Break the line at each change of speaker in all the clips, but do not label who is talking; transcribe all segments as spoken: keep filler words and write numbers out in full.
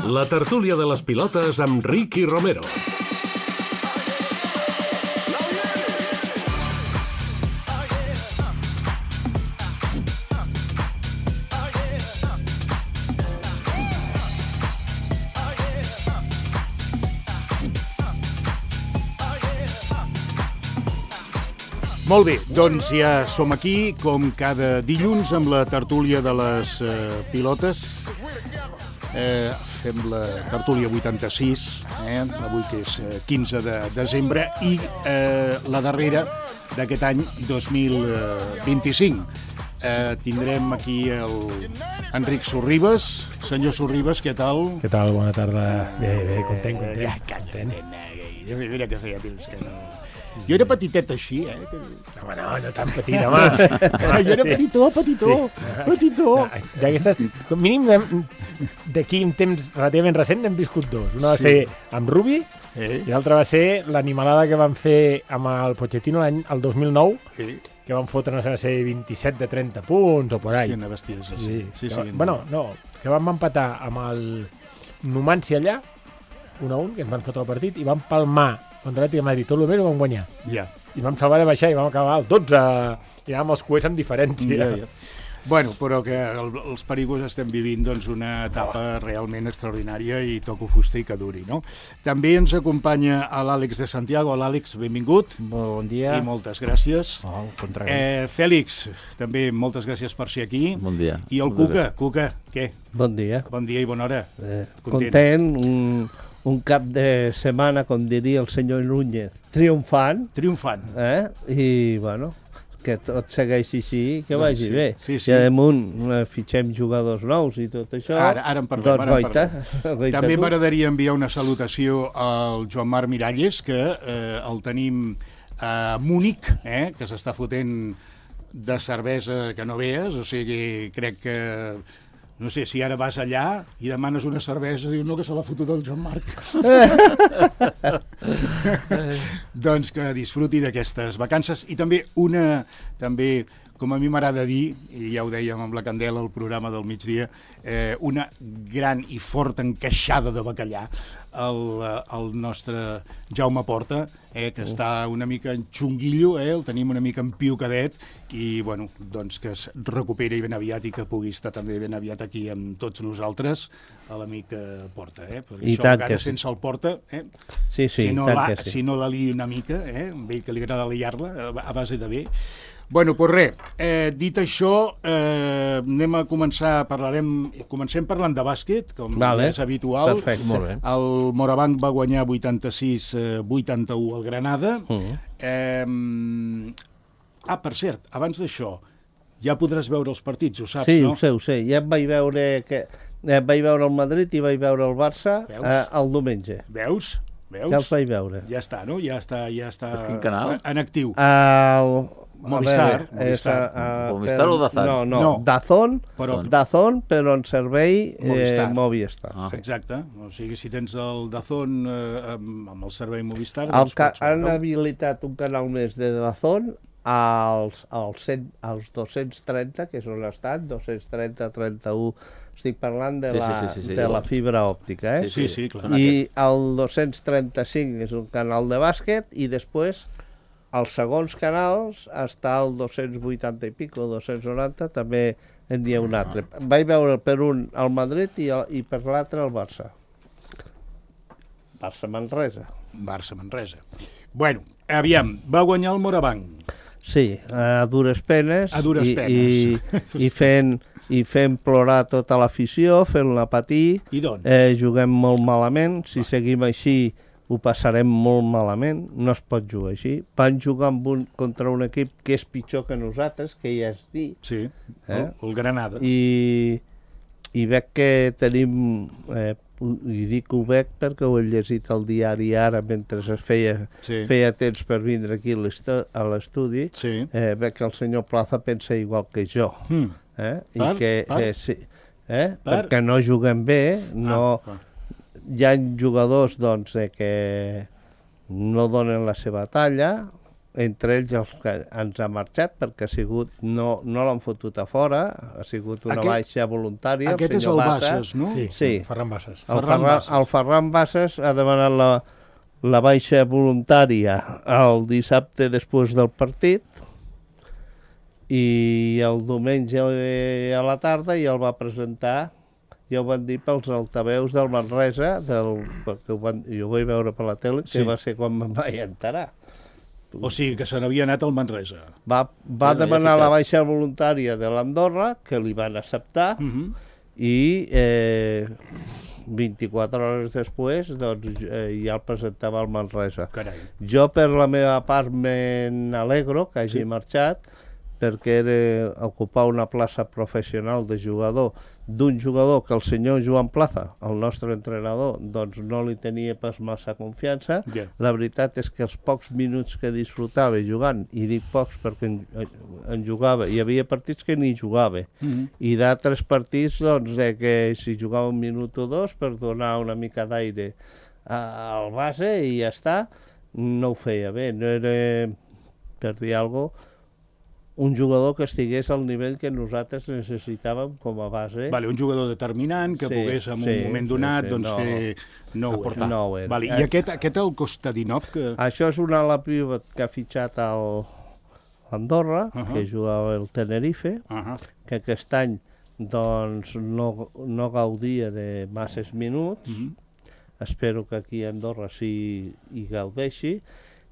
La tertúlia de les pilotes amb Ricky Romero.
Molt bé, doncs ja som aquí, com cada dilluns, amb la tertúlia de les eh, pilotes. Eh, fem la tertúlia vuitanta-sis, eh, avui que és eh, quinze de desembre, i eh, la darrera d'aquest any dos mil vint-i-cinc. Eh, tindrem aquí el Enric Sorribes. Senyor Sorribes, què tal?
Què tal? Bona tarda. Bé, bé, content, content.
Ja, content. Mira que feia temps que no... Jo era petitet així, eh?
Home, no, no tan petit, home.
Jo era petitó, petitó, petitó.
D'aquestes, com mínim, d'aquí un temps relativament recent n'hem viscut dos. Una va ser amb Rubi i l'altra va ser l'animalada que van fer amb el Pochettino l'any el dos mil nou, que van fotre, no sé, va ser vint-i-set de trenta punts o por ahí.
Sí, una bestiesa, sí.
Sí, sí. Bueno, no, que vam empatar amb el Numancia allà, un a un, que ens van fotre el partit, i vam palmar contra l'Atlètic de Madrid, tot el bé ho vam guanyar.
Ja.
I vam salvar de baixar i vam acabar al dotze. I anàvem els coets amb diferència.
Ja, ja. Bueno, però que el, els perigos estem vivint doncs, una etapa realment extraordinària i toco fuster i que duri, no? També ens acompanya l'Àlex de Santiago. L'Àlex, benvingut.
Bon dia.
I moltes gràcies.
Oh, al contrari.
Eh, Fèlix, també moltes gràcies per ser aquí.
Bon dia.
I el Cuca. Cuca, què?
Bon dia.
Bon dia i bona hora.
Eh, content. content un... un cap de setmana, com diria el senyor Núñez, triomfant.
Triomfant.
Eh? I, bueno, que tot segueixi així, que
doncs
vagi
sí,
bé.
Sí, sí.
I a damunt eh, fitxem jugadors nous i tot això.
Ara, ara en parlem.
Doncs
ara en
goita,
parlem.
goita
També
tu.
m'agradaria enviar una salutació al Joan Marc Miralles, que eh, el tenim a Múnich, eh, que s'està fotent de cervesa que no veus, o sigui, crec que... No sé, si ara vas allà i demanes una cervesa, dius, no, que se l'ha fotut el Joan Marc. Doncs que disfruti d'aquestes vacances. I també una, també, com a mi m'agrada dir, i ja ho dèiem amb la Candela al programa del migdia, eh, una gran i forta encaixada de bacallà al, al nostre Jaume Porta, eh, que està una mica en xunguillo, eh, el tenim una mica en piucadet, i bueno, doncs que es recuperi ben aviat i que pugui estar també ben aviat aquí amb tots nosaltres, a l'amic Porta, eh? Perquè
I
això a vegades
sí.
sense el Porta, eh?
Sí, sí,
si no,
tant
la,
que sí.
si no la li una mica, eh? Amb ell que li agrada liar-la a base de bé. Bueno, doncs res, eh, dit això, eh, anem a començar, parlarem, comencem parlant de bàsquet, com
vale.
és habitual.
Perfecte, molt bé.
El Morabanc va guanyar vuitanta-sis a vuitanta-u al Granada.
Uh-huh.
eh, ah, per cert, abans d'això, ja podràs veure els partits, ho saps,
sí,
no?
Sí, ho sé, ho sé. Ja em vaig veure, que, eh, vaig veure el Madrid i vaig veure el Barça eh, el diumenge.
Veus? Veus?
Ja els vaig veure.
Ja està, no? Ja està, ja està
per quin canal?
En actiu.
El...
Movistar,
veure, Movistar. És, uh,
Movistar
per,
o Dazón?
No, no,
no.
Dazón,
però,
Dazón, però en servei
Movistar.
Eh, Movistar.
Ah. Exacte, o sigui, si tens el Dazón eh, amb, amb el servei Movistar...
El
doncs
ca
pots
han
veure.
habilitat un canal més de Dazón als, als, cent, als dos-cents trenta, que és on estan, dos-cents trenta, trenta-u... Estic parlant de,
sí,
la,
sí, sí, sí,
de
sí.
la fibra òptica, eh?
Sí, sí, clar.
I el dos-cents trenta-cinc és un canal de bàsquet i després als segons canals està el dos-cents vuitanta i pico, dos-cents noranta, també en hi ha un altre. Vaig veure per un el Madrid i, el, i per l'altre el Barça. Barça-Manresa.
Barça-Manresa. Bueno, aviam, va guanyar el Morabanc.
Sí, a dures penes.
A dures
i,
penes.
I, i fent... i fent plorar tota l'afició, fent-la patir.
I doncs?
Eh, juguem molt malament. Si seguim així, ho passarem molt malament. No es pot jugar així. Van jugar amb un, contra un equip que és pitjor que nosaltres, que ja és dir.
Sí, eh? el, el Granada.
I, i veig que tenim... Eh, i dic que ho veig perquè ho he llegit al diari ara mentre es feia,
sí.
feia temps per vindre aquí a l'estudi.
Sí.
Eh, veig que el senyor Plaza pensa igual que jo.
Mm.
Eh?
Per?
I que,
Per?
eh, sí, eh?
Per?
Perquè no juguem bé, no,
ah,
hi ha jugadors doncs, eh, que no donen la seva talla, entre ells els que ens ha marxat, perquè ha sigut, no, no l'han fotut a fora, ha sigut una
Aquest-
baixa voluntària.
Aquest és el Bassas, no?
Sí,
Sí.
Ferran Bassas.
El
Ferran
Ferran,
Bassas.
el Ferran Bassas ha demanat la, la baixa voluntària el dissabte després del partit i el diumenge a la tarda ja el va presentar, ja ho van dir pels altaveus del Manresa, del, perquè ho van, jo ho vaig veure per la tele, que
Sí.
va ser quan me'n vaig enterar.
O sigui, que se n'havia anat al Manresa.
Va, va
Bueno, ja
demanar
fitxat.
la baixa voluntària de l'Andorra, que li van acceptar,
Uh -huh.
i eh, vint-i-quatre hores després doncs, eh, ja el presentava al Manresa.
Carai.
Jo, per la meva part, me n'alegro que hagi
Sí.
marxat, perquè era ocupar una plaça professional de jugador d'un jugador que el senyor Joan Plaza, el nostre entrenador, doncs no li tenia pas massa confiança.
Ja.
La veritat és que els pocs minuts que disfrutava jugant, i dic pocs perquè en, en jugava, hi havia partits que ni jugava,
Uh -huh.
i d'altres partits doncs, de que si jugava un minut o dos per donar una mica d'aire a- al base i ja està, no ho feia bé, no era, per dir alguna cosa, un jugador que estigués al nivell que nosaltres necessitàvem com a base.
Vale, un jugador determinant que
Sí,
pogués en
sí,
un moment
sí,
donat
sí,
doncs,
no.
fer... No ho era.
No ho era.
Vale, I
Eh.
aquest, aquest el Kostadinov, que...
Això és un ala pivot que ha fitxat al Andorra,
Uh -huh.
que jugava el Tenerife,
Uh -huh.
que aquest any doncs, no, no gaudia de masses minuts.
Uh -huh.
Espero que aquí a Andorra sí hi gaudeixi.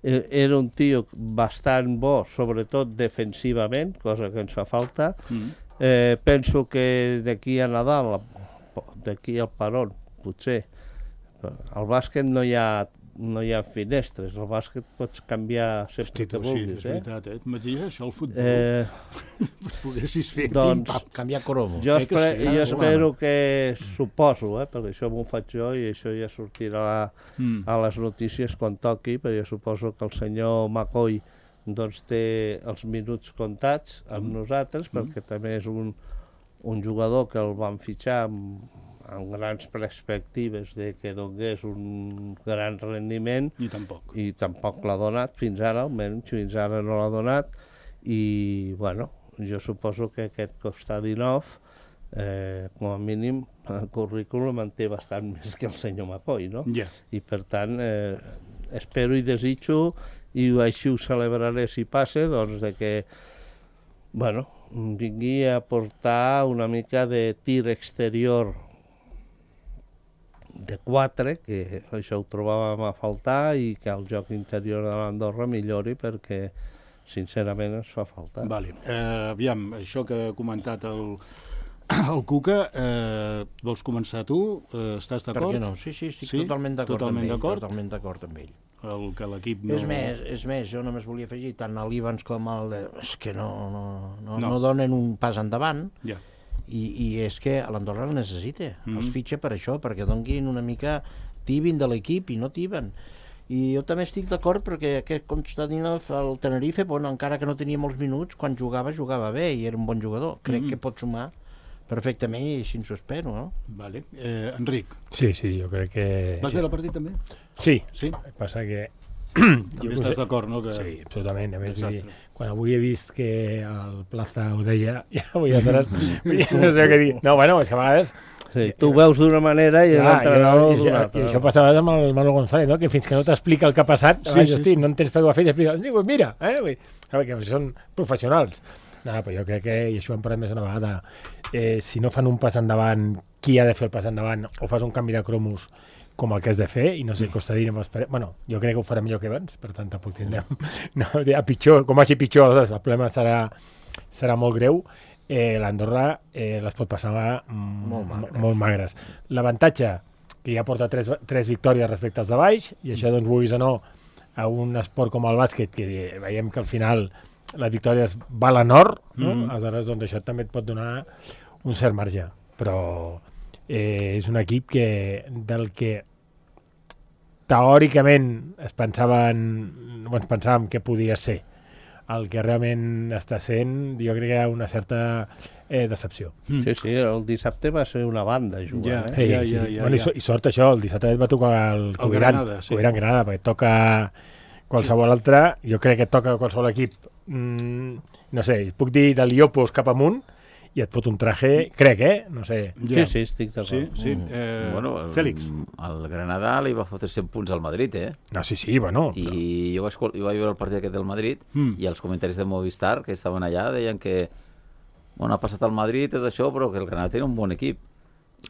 Eh, Era un tio bastant bo, sobretot defensivament, cosa que ens fa falta.
Uh -huh.
Eh, penso que d'aquí a Nadal, d'aquí al Perón, potser, al bàsquet no hi ha, no hi ha finestres, al bàsquet pots canviar sempre
Hosti,
que
tu, sí,
vulguis.
és
eh?
veritat, eh? M'imagines això, el futbol?
Eh,
Poguessis fer
doncs,
pim-pam.
Canviar cromos.
jo,
Eh que
espre,
sí,
jo
cada
espero que, suposo, eh, perquè això m'ho faig jo i això ja sortirà
Mm.
a les notícies quan toqui, perquè jo suposo que el senyor McCoy doncs, té els minuts comptats amb
Mm.
nosaltres, perquè també és un, un jugador que el van fitxar amb, amb grans perspectives de que donés un gran rendiment
Ni tampoc.
i tampoc l'ha donat fins ara, almenys fins ara no l'ha donat, i bueno, jo suposo que aquest Kostadinov eh, com a mínim el currículum en té bastant més que el senyor McCoy, no?
Ja.
I per tant eh, espero i desitjo, i així ho celebraré si passa, doncs de que bueno, vingui a portar una mica de tir exterior de quatre, que això ho trobàvem a faltar, i que el joc interior de l'Andorra millori, perquè sincerament ens fa falta.
Vale. Eh, aviam, això que ha comentat el, el Cuca, eh, vols començar tu? Eh, estàs
Per
d'acord?
què no? Sí, sí, estic
Sí?
totalment d'acord
Totalment
amb ell.
d'acord?
Totalment d'acord amb ell.
El que l'equip no...
És més, és més, jo només volia afegir tant a l'Ivans com al... De... És que no, no, no,
No.
no donen un pas endavant,
Ja.
i, i és que l'Andorra el necessita.
Mhm.
Els fitxa per això, perquè donguin una mica tibin de l'equip i no tiben. I jo també estic d'acord perquè aquest Kostadinov al Tenerife, bueno, encara que no tenia molts minuts, quan jugava, jugava bé i era un bon jugador. Crec
Mhm.
que pot sumar perfectament i així ens ho espero, no?
Vale. Eh, Enric,
Sí, sí, jo crec que...
vas veure el partit també?
Sí,
Sí?
el que passa que...
També estàs d'acord, no? Que...
Sí, absolutament. A més, vull dir,
Desastre.
quan avui he vist que el Plaza ho deia, ja vull aleshores, no sé què dir. No, bueno, és que a vegades...
Sí, tu ho veus d'una manera i
Clar,
l'entrenador
i, això,
d'una
i
altra.
això passa a vegades amb el Manolo González, no? Que fins que no t'explica el que ha passat,
Sí,
sí,
sí,
hosti,
sí.
no entens per què ho ha fet, i explica, diu, mira, eh? Vull dir, sabe, que són professionals. No, però jo crec que, i això ho hem parlat més una vegada, eh, si no fan un pas endavant, qui ha de fer el pas endavant, o fas un canvi de cromos com el que has de fer, i no sé, Kostadinov, bueno, jo crec que ho farà millor que abans, per tant, tampoc tindrem... No, a pitjor, com vagi pitjor, aleshores, el problema serà, serà molt greu. Eh, L'Andorra eh, les pot passar mm,
Molt magres.
molt magres. L'avantatge, que ja porta tres, tres victòries respecte als de baix, i això, doncs, vulguis o no, a un esport com el bàsquet, que veiem que al final les victòries valen or, no?
Mhm.
Aleshores, doncs, això també et pot donar un cert marge. Però eh, és un equip que, del que teòricament es pensaven, o ens pensàvem que podia ser. El que realment està sent, jo crec que hi ha una certa eh, decepció.
Sí, sí, el dissabte va ser una banda jugant,
Ja.
eh?
Ja, ja, ja,
bueno,
ja.
I, so, I sort això, el dissabte va tocar el Coviran,
Granada, sí.
Coviran Granada, perquè toca qualsevol altre, jo crec que et toca qualsevol equip, mm, no sé, puc dir del Iopos cap amunt, i et fot un traje, crec, eh? No sé.
Sí, sí, estic d'acord.
Sí, sí. Eh,
Bueno, el,
Fèlix.
el Granada li va fotre cent punts al Madrid, eh?
No, sí, sí, bueno.
I jo vaig, jo vaig veure el partit aquest del Madrid
Mm.
i els comentaris de Movistar que estaven allà deien que bueno, ha passat al Madrid tot això, però que el Granada té un bon equip.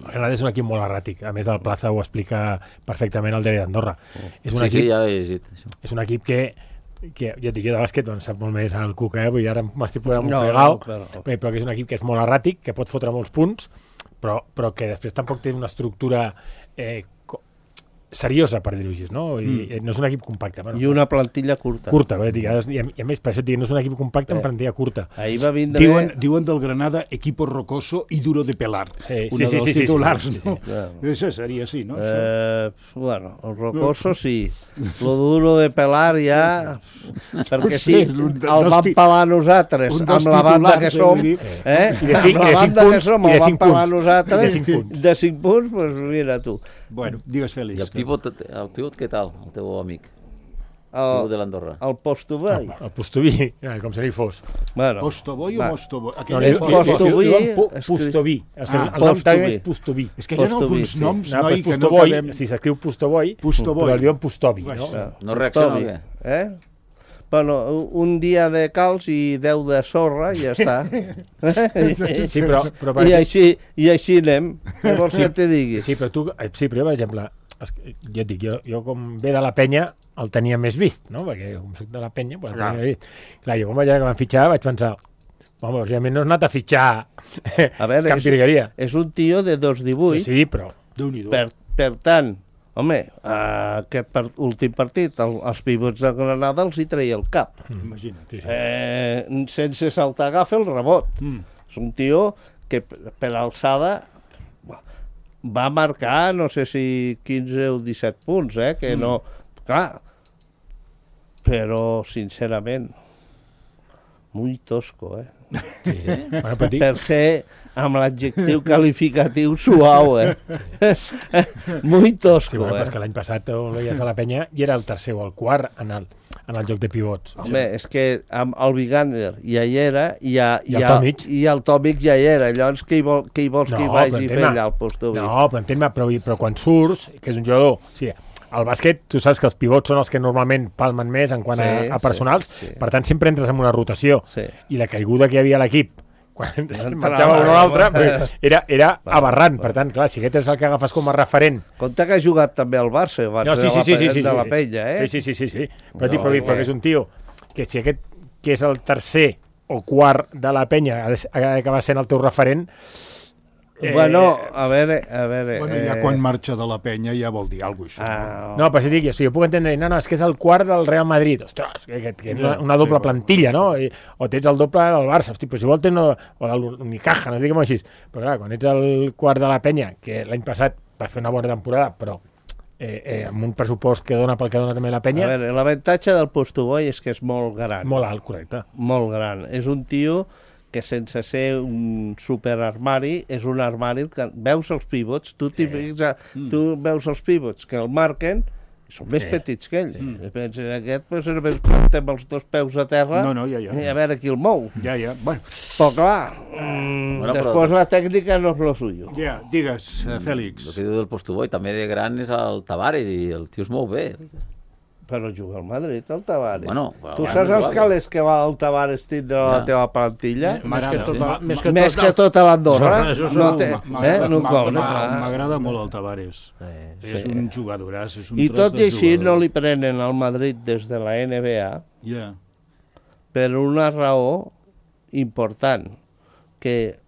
El Granada és un equip molt erràtic. A més, el Plaza ho explica perfectament el diari d'Andorra. És un
sí,
equip,
sí, ja he llegit això.
és un equip que, que jo et dic, jo de bàsquet doncs, sap molt més el Cuca, eh? Vull dir, ara m'estic posant un
No,
fregal,
no, però-
però... però que és un equip que és molt erràtic, que pot fotre molts punts, però, però que després tampoc té una estructura eh, co- seriosa, per dir-ho així, no? I, mm. no és un equip compacte. Bueno,
I una plantilla curta.
curta, vull dir, i, a, i a més, per això et dic, no és un equip compacte en
Eh.
plantilla curta.
Ahir va vindre...
Diuen, diuen del Granada equipo rocoso y duro de pelar.
Sí,
Una
sí, sí,
dels
sí, sí,
titulars,
sí, sí, sí.
no?
Claro.
Això seria així, no? Això.
Eh, bueno, el rocoso sí. Lo duro de pelar ja... Perquè
Sí,
sí,
un de-
el
dels
vam
ti-
pelar nosaltres,
un
amb
dels
la banda
titulars,
que
eh,
som,
vull dir.
eh?
I de cinc-
amb
i de
la
cinc
banda que
punts,
som,
i de
el vam
cinc
pelar
punts.
nosaltres.
I de cinc punts.
De cinc punts, doncs mira tu.
Bueno, digues,
I
Fèlix.
el pivot, el pivot què tal, el teu amic? El
El,
pivot de l'Andorra.
el Postobay.
El Postoví, eh, com si no hi fos.
Bueno,
Postoboy o
va.
Mostoboy?
No,
Aquell
li,
és
li,
fort.
li,
Postoví,
li, li, po-
escrit-
Postoví. O sigui,
Ah,
el nom
Postoví.
també és Postoví.
És que hi ha
Postoví,
alguns
sí.
noms,
No,
noi,
pues
que no
Postovoy,
acabem...
si s'escriu Postovoy,
Postovoy.
però el diuen Postovi,
Vaja.
no?
Ah,
No reacciona o
Postovi,
què?
Eh? Bueno, un dia de calç i deu de sorra i ja està.
Sí, però, però, per
I
exemple-
així, i així anem. Què vols que te digui?
sí, però tu, eh, sí, però jo, per exemple, es- jo et dic, jo, jo com ve de la penya el tenia més vist, no? Perquè com soc de la penya, pues, el tenia
Clar.
més vist. Clar, jo quan vaig veure que van fitxar vaig pensar, home, realment no has anat a fitxar
A veure,
cap
és,
virgueria.
és un tio de dos
Sí,
divuit,
sí, però...
Déu-n'hi-do.
per, per tant, home, a aquest part, últim partit, el, els pivots de Granada els hi treia el cap.
Imagina't.
Sí, sí.
Eh, sense saltar agafa el rebot.
Mm.
És un tio que per per alçada va marcar, no sé si quinze o disset punts, eh? Que
Mm.
no... Clar, però, sincerament, muy tosco, eh?
Sí. Bueno, però dic,
Per ser amb l'adjectiu qualificatiu suau, eh? Muy
sí,
tosco,
bueno, però és
eh?
que l'any passat el veies a la penya i era el tercer o el quart en el, en el joc de pivots.
Home, és que amb el Vigander ja hi era i, ja,
I el
ja,
Tomic.
i el Tomic ja hi era. Llavors, què hi, vol, què hi vols que hi
No,
vagi
però
a fer
entén-me.
allà al Postovi?
No, però entén-me, però, però quan surts, que és un jugador... O sigui, al bàsquet, tu saps que els pivots són els que normalment palmen més en quant a,
Sí,
a personals,
sí, sí.
per tant sempre entres en una rotació.
Sí.
I la caiguda que hi havia a l'equip quan
Entrava,
marxava un o l'altre
eh.
era, era
Va,
aberrant.
va.
Per tant, clar, si aquest és el que agafes com a referent...
Compte que ha jugat també al Barça abans
No, sí,
de,
sí,
la,
sí, sí,
pe-
sí,
de la
sí.
penya, eh?
Sí, sí, sí, sí, sí. Però,
No,
dic, però, dic, però
eh.
que és un tio que si aquest que és el tercer o quart de la penya ha de- ha d'acabar sent el teu referent... eh,
Bueno, a veure, a veure...
Bueno,
eh,
ja quan marxa de la penya ja vol dir alguna cosa, això.
Ah,
No, però si dic, o sigui, jo puc entendre, no, no, és que és el quart del Real Madrid, ostres, que, que, que és una,
Ja,
una doble
sí,
plantilla, no? I, o tens el doble del Barça, hosti, però si vol tens no, o de l'Unicaja, no diguem així. Però clar, quan ets el quart de la penya, que l'any passat va fer una bona temporada, però eh, eh, amb un pressupost que dona pel que dona també la
a
penya,
veure, l'avantatge del Postoboy és que és molt gran.
molt alt, correcte.
Molt gran. És un tio que sense ser un superarmari, és un armari que veus els pivots, tu, sí.
Mm.
tu veus els pivots que el marquen, i són més
Sí.
petits que ells. Sí. I penses, aquest pues, només planta amb els dos peus a terra
No, no, ja, ja.
i a veure qui el mou.
Ja, ja. Bueno,
Però clar, mm,
Bueno, però-
després la tècnica no és lo suyo.
ja, digues, eh,
El
Fèlix.
que diu del Postoboy, també de gran és el Tavares i el tio es mou bé.
Però juga al Madrid, el Tavares.
Bueno,
tu
bueno,
saps els
igual.
calés que va el Tavares tindre a la
Ja.
teva plantilla?
M'agrada.
tota-
sí.
més que
Més
tot-
que tota l'Andorra.
Això
No
segur.
té,
M'agrada
eh? No
m'a-
compta,
m'a-
clar.
m'agrada molt el Tavares.
Eh,
És
sí.
un jugadoràs, és un
I
tros
tot
de
i així
jugador.
no li prenen al Madrid des de la N B A
Ja.
per una raó important, que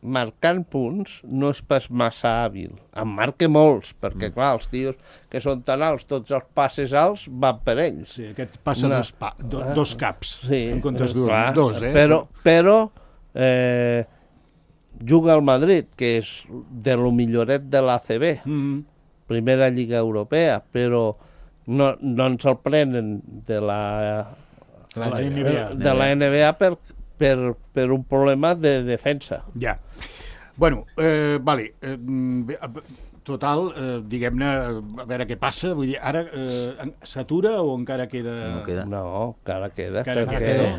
marcant punts no és pas massa hàbil. En marca molts, perquè clar, els tios que són tan alts, tots els passes alts van per ells.
Sí, aquest passa
Una-
dos, pa, do, dos caps,
Sí,
en comptes
eh,
d'un.
clar,
Dos, eh?
Però, però eh, juga al Madrid, que és de lo milloret de l'A C B,
Mm,
primera lliga europea, però no, no ens el prenen de la,
la N B A.
de la N B A per, per, per un problema de defensa.
Ja. Bueno, eh, vale. Eh, bé, eh, total, eh, diguem-ne, a veure què passa, vull dir, ara eh, s'atura o encara queda...
No queda.
No, encara queda,
Encara
perquè
queda.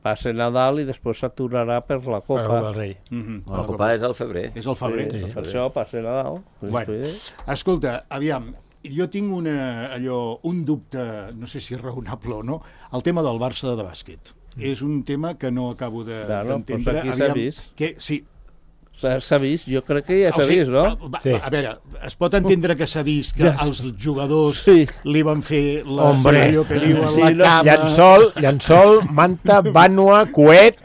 passa Nadal i després s'aturarà per la
Per
Copa.
el rei.
Mhm.
La Copa és al febrer.
És el febrer.
Sí, per això passa Nadal.
Bueno, escolta, aviam, jo tinc una, allò, un dubte, no sé si és raonable o no, el tema del Barça de bàsquet. És un tema que no acabo de-
Claro,
d'entendre.
pues aquí s'ha vist.
Que, sí,
S'ha s'ha vist, jo crec que ja
o
s'ha
sigui,
vist, no?
va-
Sí.
A veure, es pot entendre que s'ha vist que
Ja.
els jugadors
Sí.
li van fer la,
Hombre.
allò que diuen
Sí,
la
no,
cama...
Llençol, llençol, manta, vànua, coet,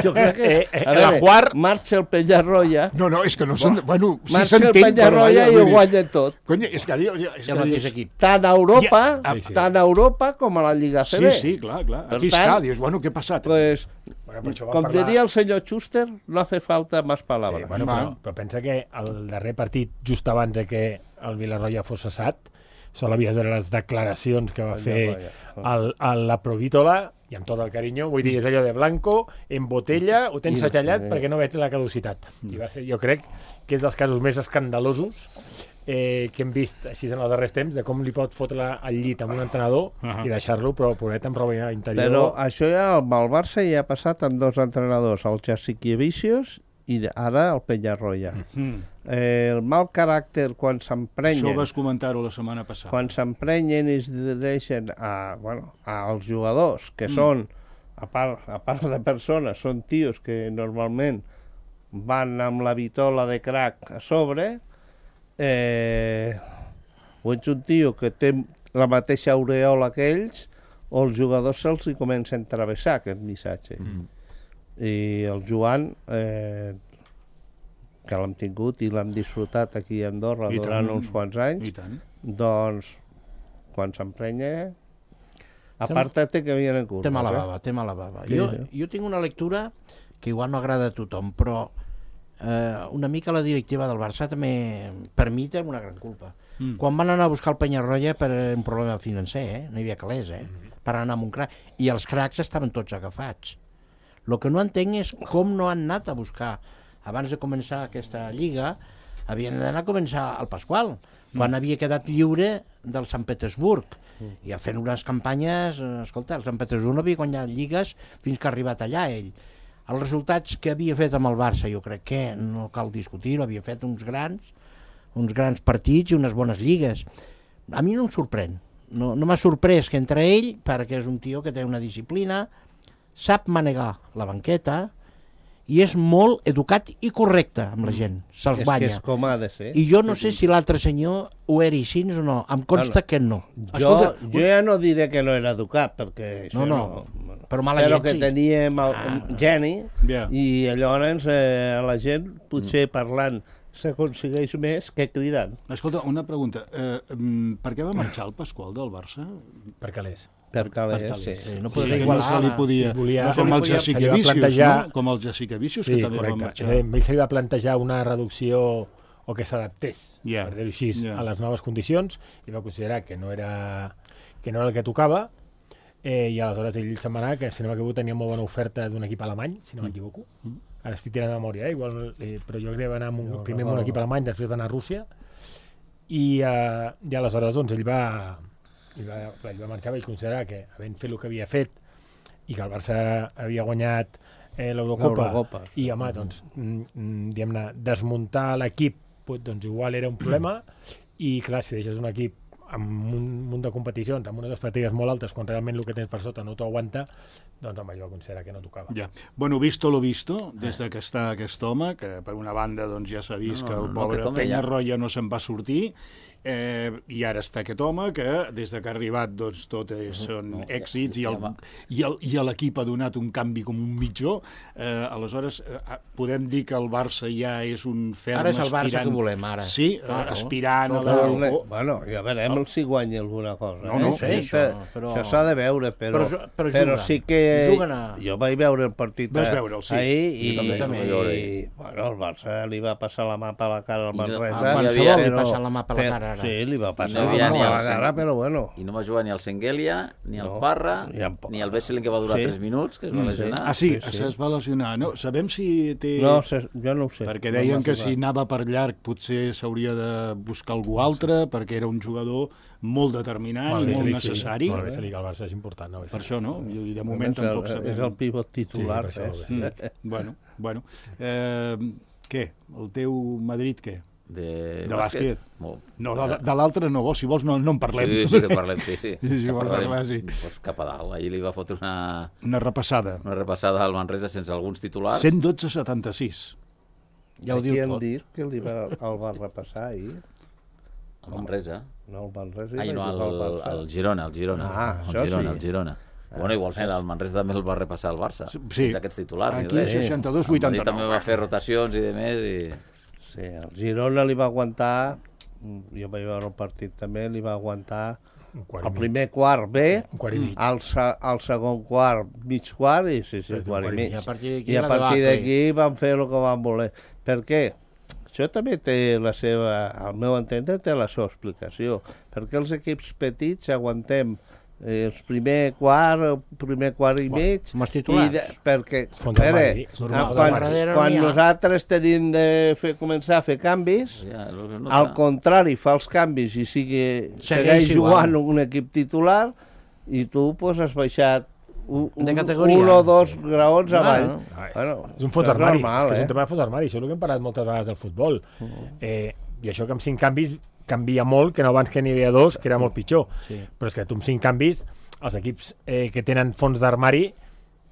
Jo crec que...
eh, eh,
a
la
veure,
Juar...
marxa el Penyarroia,
No, no, és que no s'en... Bueno, sí
marxa el
s'entén, però...
Penyarroia
vaja,
i
vull
ho
dir,
guanya tot.
Cony, és que... diu- És
El
que
mateix
dius,
equip.
Tant a Europa,
Ja,
sí, sí.
tant a Europa com a la Lliga C
Sí,
B.
sí, clar, clar.
Per
Aquí
tant,
està, dius, bueno, què ha passat?
Pues,
Bueno, per això va
com
parlar-
diria el senyor Schuster, no hace falta más
Sí,
palabras.
bueno, però, però pensa que el darrer partit, just abans de que el Villarroya fos cessat, sol havies veure les declaracions que va fer el, el, la Provítola, i amb tot el carinyo, vull dir, és allò de blanco, en botella, ho tens
I-
segellat
eh.
perquè no veig la caducitat. I va ser, jo crec que és dels casos més escandalosos eh, que hem vist així en els darrers temps, de com li pot fotre al llit amb un entrenador
Ahà.
i deixar-lo, però pobret amb roba interior.
Però això ja amb el Barça ja ha passat amb dos entrenadors, el Jassikevicius i ara el Penyarroia.
Mm.
Eh, el mal caràcter quan
Això
s'emprenyen,
vas comentar-ho la setmana passada.
quan s'emprenyen i es dirigeixen a, bueno, als jugadors, que
Mm.
són, a part, a part de persones, són tios que normalment van amb la vitola de crack a sobre, eh, o ets un tio que té la mateixa aureola que ells, o els jugadors se'ls hi comencen a travessar aquest missatge. Mm. I el Joan, eh, que l'hem tingut i l'hem disfrutat aquí a Andorra
I
durant
tant.
uns quants anys,
I tant.
doncs, quan s'emprenya, aparta-te que vienen curves.
Té mala
eh?
bava, té mala bava.
Sí,
jo,
sí.
jo tinc una lectura que igual no agrada a tothom, però eh, una mica la directiva del Barça també, per mi, té una gran culpa.
Mm.
Quan van anar a buscar el Penyarroia per un problema financer, eh? no hi havia calés, eh? per anar amb un crac, i els cracs estaven tots agafats. El que no entenc és com no han anat a buscar, abans de començar aquesta lliga, havien d'anar a començar al Pasqual, quan havia quedat lliure del Sant Petersburg, i fent unes campanyes, eh, escolta, el Sant Petersburg no havia guanyat lligues fins que ha arribat allà ell. Els resultats que havia fet amb el Barça, jo crec que no cal discutir-ho, havia fet uns grans, uns grans partits i unes bones lligues. A mi no em sorprèn, no, no m'ha sorprès que entre ell, perquè és un tio que té una disciplina, sap manegar la banqueta i és molt educat i correcte amb la gent, se'ls
És que
guanya.
és com ha de ser.
I jo no sé si l'altre senyor ho era així o no, em consta que no.
Jo,
Escolta,
jo ja no diré que no era educat, perquè això
No, no,
bueno,
però mala
però
llet
que
sí.
teníem el,
Ah.
un geni,
Ja.
i llavors eh, la gent, potser parlant, s'aconsegueix més que cridant.
Escolta, una pregunta. Eh, mm, per què va marxar el Pasqual del Barça?
Per calés.
Per calés,
Per calés.
sí.
Sí, no
Sí,
podria
que no
igualar.
se li podia...
Volia-
no, com
no
els
se li podia-
Jessica
se li va
Vicius,
plantejar-
no? Com els Jessica Vicius,
Sí,
que també van
correcte.
marxar.
És a dir, amb ell se li va plantejar una reducció o que s'adaptés,
Ja,
per dir-ho així,
ja.
a les noves condicions, i va considerar que no era, que no era el que tocava, eh, i aleshores ell se'n va anar, que si no m'equivoco tenia molt bona oferta d'un equip alemany, si no m'equivoco. Ara estic tirant de memòria, eh? Igual, eh, però jo crec que va anar amb un, primer amb un equip alemany, després va anar a Rússia, i, eh, i aleshores doncs, ell va, ell va, ell va marxar, i considerar que, havent fet el que havia fet, i que el Barça havia guanyat eh, l'Eurocopa,
L'Eurocopa, sí.
i home, doncs, mm, mm, diguem-ne, desmuntar l'equip, pues, doncs igual era un problema, i clar, si deixes un equip amb un munt de competicions, amb unes expectatives molt altes, quan realment el que tens per sota no t'ho aguanta, doncs home, jo considero que no tocava.
Ja. Bueno, visto lo visto, des de que està aquest home, que per una banda doncs, ja s'ha vist
No,
que
no,
el
no,
pobre
aquest home
Penyarroia no se'n va sortir, eh, i ara està aquest home que des de que ha arribat doncs, tot és, són
no,
èxits i
ja
el-
va.
i el- i l'equip ha donat un canvi com un mitjó. Eh, aleshores, eh, podem dir que el Barça ja és un ferm
Ara és el Barça
aspirant...
que volem, ara.
Sí, eh,
Claro.
aspirant a
Tot
la...
Però,
o-
bueno, ja verem, igual si guanya alguna cosa.
No,
eh?
no,
no sé,
Això,
això, però-
això s'ha de veure, però,
Però ju- però
però
juguen.
sí que...
Juguen a-
Jo vaig veure el partit
Vas
a-
veure'l, sí.
ahir i,
Jo també,
jo també.
vaig veure
i, bueno, el Barça li va passar la mà per la cara al
I no-
Manresa.
ah,
Qualsevol
hi havia-
li passa la mà per la
però-
cara, ara.
Sí, li va passar
no hi
la
havia
mà
ni
per la
el
cara,
Sen-
però bueno.
I no va jugar ni el Sengelia, ni el
No,
Parra,
ni en Parra.
ni el Vesselin, que va durar
Sí.
tres minuts, que es va lesionar.
Ah, sí,
Sí, sí.
es va lesionar. No, sabem si té...
No, se- jo no ho sé.
Perquè
No
deien
m'ha
que
jugat.
si anava per llarg potser s'hauria de buscar algú altre, perquè era un jugador molt determinant i molt necessari.
Molt bé, se li al Barça és important. No?
Per això, no? I de
És
moment
el-
tampoc sabem.
És el pivot titular.
Sí, per això,
eh?
Mm. Bueno, bueno. Eh, què? El teu Madrid, què?
De,
De bàsquet.
Molt.
No, de, de l'altre no, si vols no, no en parlem.
Sí, sí, que parlem, sí, sí.
Sí, sí,
Que
vols
parlem.
parlar, sí.
Pues cap a dalt. Ahir li va fotre una,
Una repassada.
una repassada al Manresa sense alguns titulars.
cent dotze a setanta-sis.
Ja ho
Aquí
diu
han
tot.
dit que li va, el va repassar ahir.
El Manresa.
No, el Manresa hi
Ai,
va
no,
jugar al
el,
Barça.
el Girona, el Girona.
Ah,
el
això
Girona,
sí.
el Girona. Bueno, igualment, el Manresa també el va repassar el Barça.
Sí.
Sense aquests titulars. ni
Aquí
res.
seixanta-dos
El Madrid
vuitanta-nou.
també va fer rotacions i de més. I...
Sí, el Girona li va aguantar, jo vaig veure el partit també, li va aguantar
Un quart i
el
mig.
primer quart bé,
Un quart i mig.
el, se, el segon quart mig quart i sí, sí,
Sí,
un quart i mig.
I a partir d'aquí
I a
la
partir
debacle.
d'aquí van fer el que van voler. Per què? Això també té la seva, al meu entendre, té la seva explicació. Perquè els equips petits aguantem eh, el primer quart, el primer quart i mig,
amb els
i
titulars.
de, perquè
Fons
a veure,
armari, és normal.
quan,
Fons
quan,
armari.
quan
No hi ha.
nosaltres tenim de fer, començar a fer canvis,
Ja, el que es nota.
al contrari, fa els canvis i sigui,
Segueix
segueix
igual.
jugant un equip titular i tu pues, has baixat un,
De
un,
categoria.
un o dos graons
Bueno,
avall.
Ai,
Bueno,
és un fons
això és
armari,
normal,
és, que és
eh?
un tema de fons armari, això és el que hem parlat moltes vegades del futbol. Eh, I això que amb cinc canvis canvia molt, que no abans que n'hi havia dos, que era molt pitjor.
Sí.
Però és que tu amb cinc canvis, els equips eh, que tenen fons d'armari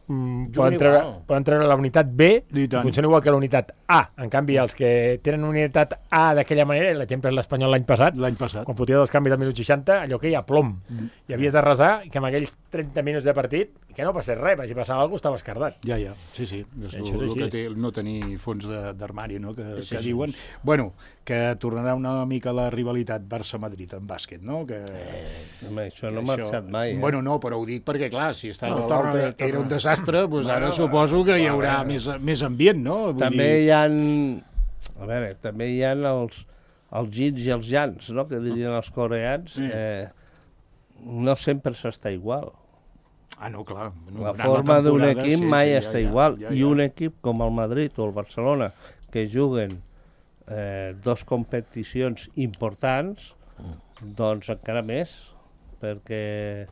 mm,
Juguen
poden, treure,
igual.
poden treure la unitat B
I
i
tant.
funciona igual que la unitat A. En canvi, els que tenen unitat A d'aquella manera, l'exemple és l'Espanyol l'any passat,
L'any passat.
quan fotia dos canvis al minut seixanta, allò que hi ha plom.
Mm.
I havies de resar i que amb aquells trenta minuts de partit, que no passés res, si passava alguna cosa, estaves cardat.
Ja, ja, sí, sí, és
Això és
el,
així.
que té no tenir fons de- d'armari, no?, que,
Sí,
que
sí.
diuen. Bueno, que tornarà una mica la rivalitat Barça-Madrid en bàsquet, no? Que,
Home, això no ha
que
marxat mai. Eh?
Bueno, no, però ho dic perquè, clar, si estava
No, torna
l'altre
bé, torna
era un
bé.
desastre, doncs ara suposo que hi haurà més, més ambient, no? Vull
també
dir,
hi ha... A veure, també hi ha els, els gins i els jans, no?, que dirien els coreans.
Sí.
Eh, no sempre s'està igual.
Ah, no, clar. en
La
una
forma d'un
temporada,
equip
sí,
mai
sí, ja,
està
ja,
igual.
ja,
I
ja.
un equip com el Madrid o el Barcelona, que juguen eh, dos competicions importants, doncs encara més, perquè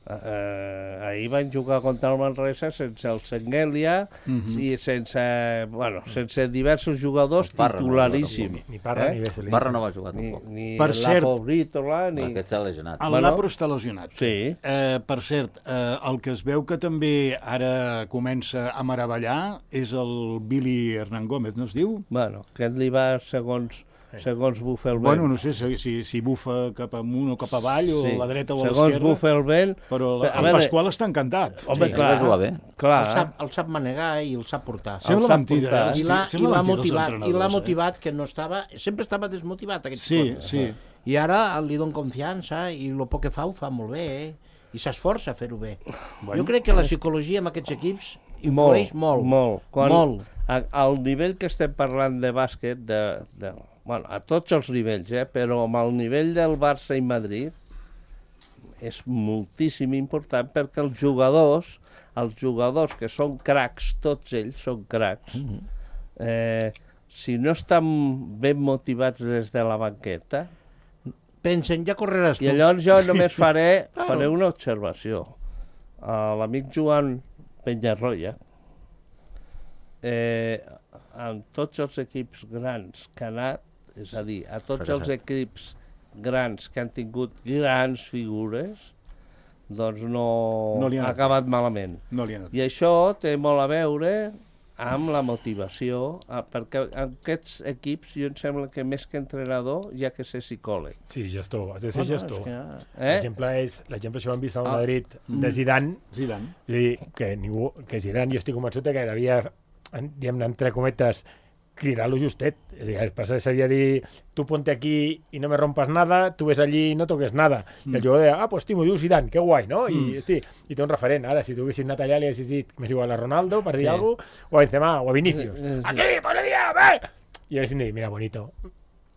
eh, ahir van jugar contra el Manresa sense el Sengelia
Mhm.
i sense, bueno, sense diversos jugadors
El Parra no
titularíssims.
Ni, ni Parra
Eh?
ni Vesselin.
Barra no va jugar
Ni,
tampoc.
ni
Per
la
cert-
Pobrítola, ni...
Aquest s'ha lesionat.
El
Bueno.
Lapro està lesionat.
Sí.
Eh, per cert, eh, el que es veu que també ara comença a meravellar és el Billy Hernán Gómez, no es diu?
Bueno, aquest li va segons, segons bufa el vent.
Bueno, no sé si, si, si bufa cap amunt o cap avall, o
Sí.
a la dreta o a
Segons
l'esquerra,
bufa el vent...
però la,
A
el
veure-
Pasqual està encantat.
Home,
Sí,
clar,
va jugar bé.
clar.
El sap, el sap manegar i el sap portar.
Sembla
sap
mentida,
portar.
eh?
I l'ha i
Sembla
l'ha
mentida, els
motivat, i
entrenadors,
l'ha
eh?
motivat que no estava... Sempre estava desmotivat, aquest
Sí,
xicot.
sí.
I ara li dono confiança i el poc que fa ho fa molt bé, eh? I s'esforça a fer-ho bé.
Bueno,
jo crec que la psicologia amb aquests equips influeix molt.
Molt. Quan,
Molt.
A, al nivell que estem parlant de bàsquet, de, de, bueno, a tots els nivells, eh, però amb el nivell del Barça i Madrid, és moltíssim important perquè els jugadors, els jugadors que són cracs, tots ells són cracs, eh, si no estan ben motivats des de la banqueta,
Pensen, ja correràs tu.
i llavors jo només faré,
Claro.
faré una observació. A l'amic Joan Penyarroia, eh, amb tots els equips grans que ha anat, és a dir, a tots els equips grans que han tingut grans figures, doncs no,
No li ha
ha
anat
acabat malament.
No li ha anat.
I això té molt a veure amb la motivació, ah, perquè en aquests equips jo em sembla que més que entrenador hi ha que ser psicòleg.
Sí, gestor, has de ser
Bueno,
gestor.
és que...
Eh?
L'exemple és, l'exemple això ho hem vist al
Ah.
Madrid de Zidane,
Zidane.
és a dir, que, ningú, que Zidane jo estic convençut que devia, en- diguem-ne, entre cometes, cridar-lo justet. És a dir, el passat sabia dir, tu ponte aquí i no me rompas nada, tu ves allí i no toques nada. Mm. I el jugador deia, ah, pues t'ho diu Zidane, que guai, no? I, mm. hosti, i té un referent. Ara, si tu haguessis anat allà, li haguessis dit, més igual a Ronaldo, per dir sí. alguna cosa, o a Benzema, o a Vinicius. Mm. Aquí, pues le dia, ve! I haguessin dit, mira, bonito.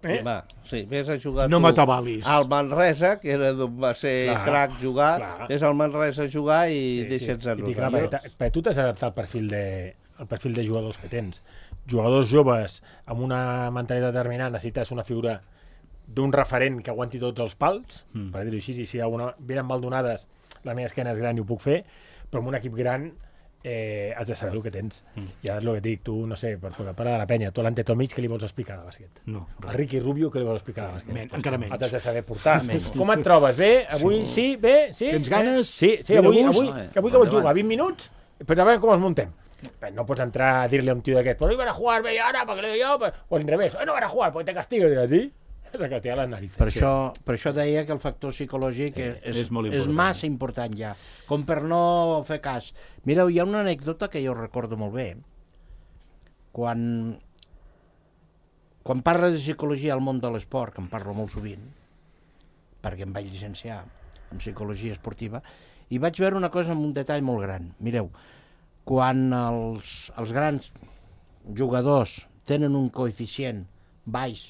Eh? Va, sí, vés a jugar
no m'atabalis.
Al Manresa, que era d'on va ser clar, crac jugar, clar. Vés al Manresa a jugar i sí, deixa'ns sí. a nosaltres.
Perquè tu t'has d'adaptar al perfil de, el perfil de jugadors que tens. Jugadors joves amb una mentalitat determinant, necessites una figura d'un referent que aguanti tots els pals, mm. per dir-ho així, i si alguna venen mal donades, la meva esquena és gran i ho puc fer, però amb un equip gran eh, has de saber el que tens. Mm. I ara és el que et dic, tu, no sé, per, per parlar de la penya, tu l'Ante Tomic, què li vols explicar de bàsquet? No. A Ricky Rubio, què li vols explicar de bàsquet? Men, encara menys. Els has de saber portar. Com et trobes? Bé? Avui sí? sí? Bé? Sí?
Tens ganes?
Sí, sí, avui, avui, avui que vols jugar? vint minuts? Però a veure com els muntem. No pots entrar a dir-li a un tio d'aquest, pues hoy van a jugar media hora, perquè le doy yo, pues, o al revés, hoy no van a jugar, porque te castigo, i diràs, sí? És a castigar les narices.
Per, sí. això, per això deia que el factor psicològic eh, és, és, és massa important ja, com per no fer cas. Mireu, hi ha una anècdota que jo recordo molt bé. Quan, quan parles de psicologia al món de l'esport, que en parlo molt sovint, perquè em vaig llicenciar en psicologia esportiva, i vaig veure una cosa amb un detall molt gran. Mireu, quan els, els grans jugadors tenen un coeficient baix,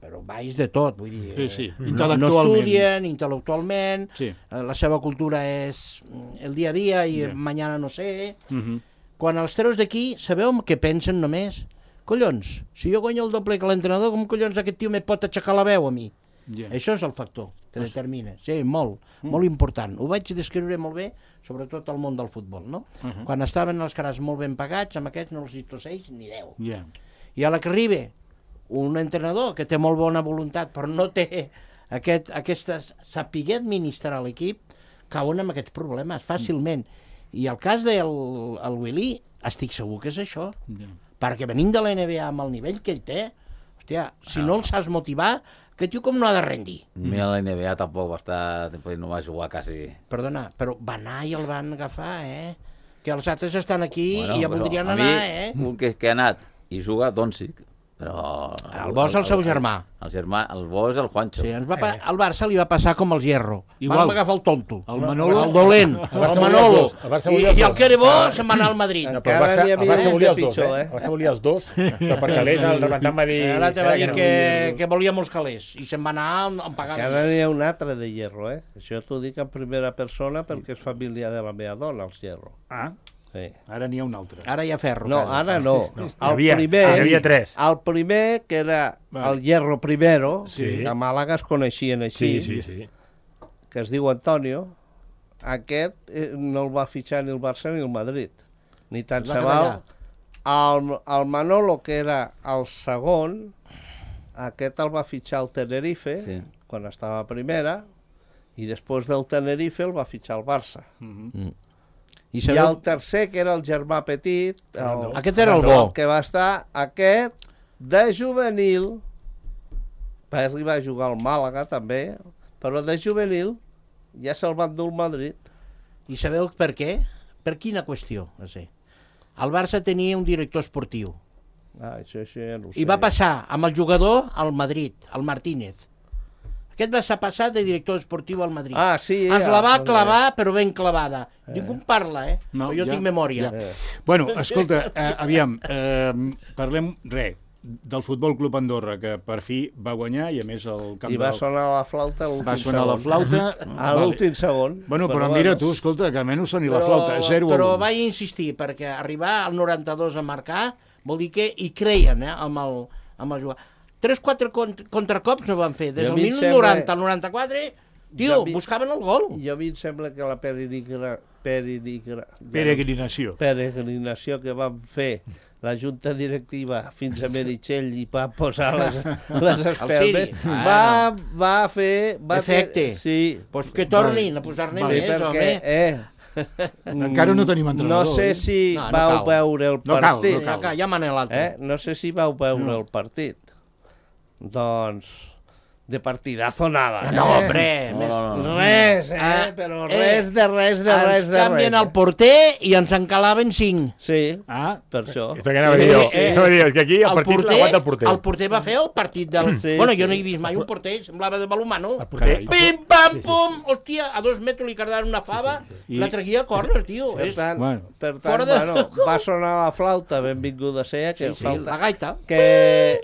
però baix de tot, vull dir,
sí, sí.
Eh, no, no estudien intel·lectualment, sí. eh, la seva cultura és el dia a dia i yeah. mañana no sé. Uh-huh. Quan els treus d'aquí, sabeu què pensen només? Collons, si jo guanyo el doble que l'entrenador, com collons aquest tio me pot aixecar la veu a mi? Yeah. Això és el factor que determina. Sí, molt, mm. molt important. Ho vaig descriure molt bé, sobretot al món del futbol, no? Uh-huh. Quan estaven els caras molt ben pagats, amb aquests no els distorceix ni deu. Yeah. I a la que arriba un entrenador que té molt bona voluntat, però no té aquest, aquesta saber administrar l'equip, cauen amb aquests problemes fàcilment. Mm. I el cas del el Willy, estic segur que és això. Yeah. Perquè venint de la N B A amb el nivell que ell té, hòstia, si ah. no el saps motivar, que tio com no ha de rendir.
Mira, la N B A tampoc va estar, no va jugar quasi.
Perdona, però va anar i el van agafar, eh? Que els altres estan aquí bueno, i ja voldrien anar, eh?
Un que, que ha anat i juga a Doncic, però...
El bo és el, el seu germà.
El, el germà, el bo és el Juancho.
Sí, ens va pa... el Barça li va passar com el Hierro. Igual. Van agafar el tonto,
el Manolo,
el dolent, el, el Manolo, el I, i el que era bo se'n va anar al Madrid.
No, però el Barça, el Barça volia els dos, eh? El Barça volia els dos, però per calés el representant va dir...
Ara te va dir que, que volia molts calés i se'n va anar a pagar.
Ara n'hi ha un altre de Hierro, eh? Això t'ho dic en primera persona perquè és família de la meva dona, els Hierro.
Ah, sí. Ara n'hi ha un altre.
Ara hi ha ferro.
No, ara no. no. El
havia,
primer,
hi havia tres.
El primer, que era el Hierro Primero, sí. A Màlaga es coneixien així,
sí, sí, sí.
Que es diu Antonio, aquest no el va fitxar ni el Barça ni el Madrid. Ni tant se val. El, el Manolo, que era el segon, aquest el va fitxar el Tenerife, sí. Quan estava a primera, i després del Tenerife el va fitxar el Barça. Mm-hmm. Mm. I, I el tercer, que era el germà petit, el,
aquest era el bo,
el que va estar aquest de juvenil, va arribar a jugar al Màlaga també, però de juvenil ja se'l van dur al Madrid.
I sabeu per què? Per quina qüestió? No sé. El Barça tenia un director esportiu.
Ah, això, això ja no ho sé.
I va passar amb el jugador al Madrid, al Martínez. Aquest va ser passat de director esportiu al Madrid.
Ah, sí.
Es la va clavar, però ben clavada. Eh. Ningú en parla, eh? No, jo ja, tinc memòria. Ja.
Eh. Bueno, escolta, eh, aviam, eh, parlem, res, del Futbol Club Andorra, que per fi va guanyar, i a més el camp
I va del... sonar la flauta a l'últim
Va sonar segon. la flauta...
a l'últim segon.
Bueno, però, però mira tu, escolta, que almenys soni però, la flauta, zero
Però vaig insistir, perquè arribar al noranta-dos a marcar vol dir que hi creien, eh, amb el, amb el jugador. Tres, quatre contracops no van fer. Des del minut noranta al noranta-quatre, tio, mi... buscaven el gol.
Jo a mi em sembla que la perinigra... perinigra...
peregrinació.
peregrinació que van fer la junta directiva fins a Meritxell i va posar les, les espelmes, va, va fer... Va
efecte.
Fer, sí.
Pues que tornin a posar-ne
vale,
més,
perquè,
home.
Eh,
encara no tenim entrenador.
No sé si no, no vau cal. veure el
no
partit.
Cal, no cal.
Ja manen l'altre.
Eh? No sé si vau veure no. el partit. Doncs, de partidazo nada.
No,
eh?
hombre,
No, no, no.
Res, eh?
Ah,
Però
eh,
res de res de res
ens
de
canvien
res.
el porter i ens encalaven cinc.
Sí,
Ah,
per això.
Esto que anava a dir jo.
Eh, eh,
Anava a dir, és que aquí el partit l'aguanta el porter.
el porter va fer el partit del...
Sí,
bueno,
sí.
jo no he vist mai un porter, semblava de balomano.
El porter.
Carai.
Pim, pam, pum, hòstia, a dos metres li cardaven una fava,
I-
la traguia a córner, tio.
Per
És
tant,
Bueno.
per tant
Fora de-
bueno, va sonar la flauta, benvinguda sea, que,
sí,
flauta,
la gaita.
que,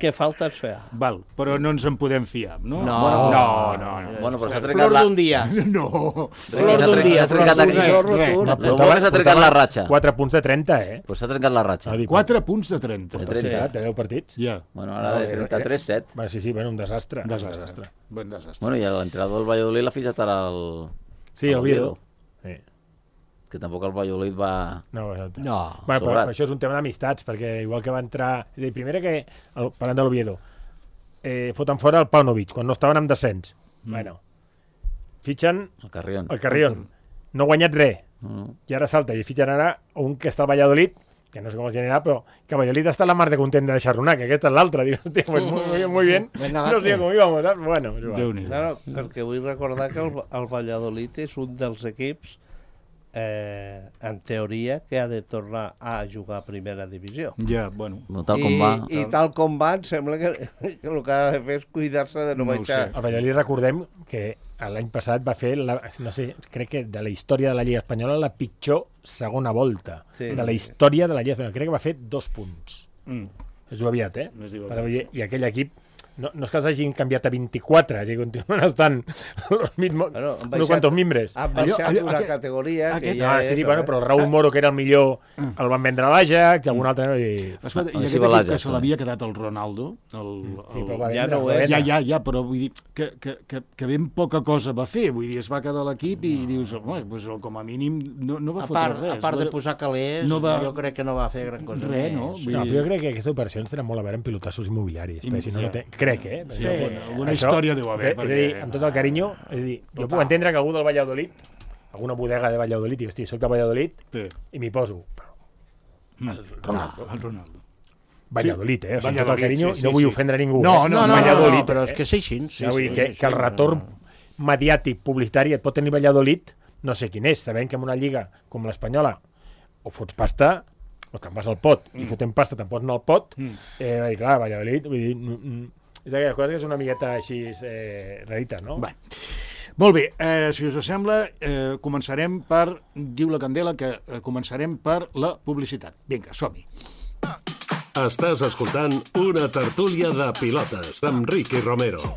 que falta ens feia.
val, però no ens en podem fiar, no?
No.
no, no. no.
Bueno, però s'ha
Flor
trencat la...
d'un dia.
No.
Flor d'un dia.
S'ha trencat
Flor
aquí.
d'un
Res,
rotund.
res.
Lo bo que s'ha trencat la ratxa.
quatre punts de trenta, eh?
Pues s'ha trencat la ratxa.
Ah, dic,
quatre punts de trenta.
De
Sí,
trenta.
de deu partits.
Ja,
Bueno, ara de trenta-tres set.
Va, sí, sí, bueno, un desastre.
desastre. Bon desastre.
Bueno, i l'entrenador del Valladolid l'ha fitxat ara el...
Sí, el Oviedo. Sí.
Que tampoc el Valladolid va...
No, exacte.
No.
Bueno, però,
sobrat.
però això és un tema d'amistats, perquè igual que va entrar... És a dir, primera que, el, parlant de l'Oviedo, eh, foten fora el Paunovic, quan no estaven en descens. Mm. Bueno, fitxen
El Carrión.
el Carrión. No ha guanyat res.
No, no.
I ara salta i fitxen ara un que està al Valladolid, que no sé com es generarà, però que Valladolid està a la mar de content de deixar-lo anar, que aquesta és l'altra. Dius, hòstia, pues muy, muy, muy bien. No sé com íbamos, saps? Bueno, és igual.
Déu-n'hi-do.
Claro, perquè vull recordar que el, el Valladolid és un dels equips, eh, en teoria, que ha de tornar a jugar a primera divisió.
Ja, bueno.
No, tal
I,
com va...
I tal com va, em sembla que, que el que ha de fer és cuidar-se de no,
No ho
baixar.
sé.
El Valladolid, recordem que l'any passat va fer, la, no sé, crec que de la història de la Lliga Espanyola, la pitjor segona volta
Sí.
de la història de la Lliga Espanyola. Crec que va fer dos punts.
Mm.
Es diu aviat, eh?
Es diu
Per
aviat.
dir- I aquell equip, no, no és que els hagin canviat a vint-i-quatre, és a dir, continuen estant los mismos,
Bueno, han
unos
baixat-
cuantos mimbres.
Han
Allò-
baixat
allò-
una
aquest-
categoria
aquest-
que ja
Ah,
és...
sí, bueno, però el Raúl Moro, que era el millor, el van vendre a l'Ajax, i algun altre... I...
Escolta,
Ah,
i
sí,
aquest
va
equip que
l'Ajax,
se l'havia quedat el Ronaldo, el,
Sí,
el,
però va
Ja
vendre,
no ho
va
és.
vendre.
ja, ja, ja, però vull dir que, que, que, que ben poca cosa va fer. Vull dir, es va quedar a l'equip i dius, home, doncs, com a mínim no, no va
A
fotre
part,
res.
a part
no
de posar calés,
no va-
jo crec que no va fer gran cosa.
Res,
més.
no? Vull
No,
dir-
però jo crec que aquestes operacions tenen molt a veure amb pilotassos immobiliaris.
I-
perquè si no,
ja.
no té... Crec, eh?
Sí,
Perquè
alguna- alguna història deu haver,
És, a- és a dir,
perquè-
amb tot el carinyo, és a dir, jo puc entendre que algú del Valladolid, alguna bodega de Valladolid, diu, hosti, soc de Valladolid
Sí.
i m'hi poso. Però
Ronaldo. El Ronaldo.
Valladolid, eh? O sigui, amb tot el
Valladolid,
carinyo,
sí,
no
sí,
vull
sí.
ofendre ningú.
No,
eh?
no,
No, no,
Valladolid,
no, però és
eh?
que és així. Sí,
Ja, vull dir
sí,
que,
sí,
que el
sí,
retorn mediàtic, publicitari, et pot tenir Valladolid, no sé quin és, sabent que en una lliga com l'espanyola o fots pasta o te'n vas al pot, i fotent pasta te'n pots anar al pot,
Mm.
eh, va dir, clar, Valladolid, vull dir, mm, mm, és d'aquelles coses que és una miqueta així eh, rarites, no?
Bé. Molt bé, eh, si us sembla, eh, començarem per, diu la Candela, que eh, començarem per la publicitat. Vinga, som-hi.
Estàs escoltant una tertúlia de pilotes amb Ricky Romero.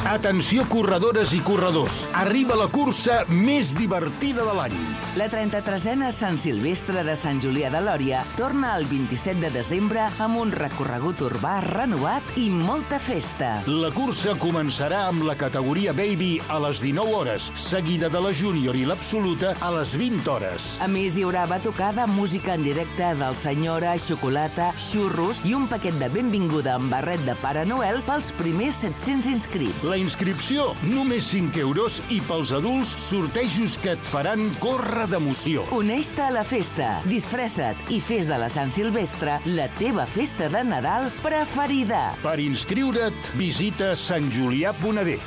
Atenció corredores i corredors, arriba la cursa més divertida de l'any.
La trenta-tresena Sant Silvestre de Sant Julià de Lòria torna el vint-i-set de desembre amb un recorregut urbà renovat i molta festa.
La cursa començarà amb la categoria Baby a les dinou hores, seguida de la Júnior i l'Absoluta a les vint hores.
A més, hi haurà batucada, música en directe del Senyora, xocolata, xurros i un paquet de benvinguda amb barret de Pare Noel pels primers set-cents inscrits.
La inscripció, només cinc euros, i pels adults, sortejos que et faran córrer d'emoció.
Uneix-te a la festa, disfressa't i fes de la Sant Silvestre la teva festa de Nadal preferida.
Per inscriure't, visita sant julià punt a d.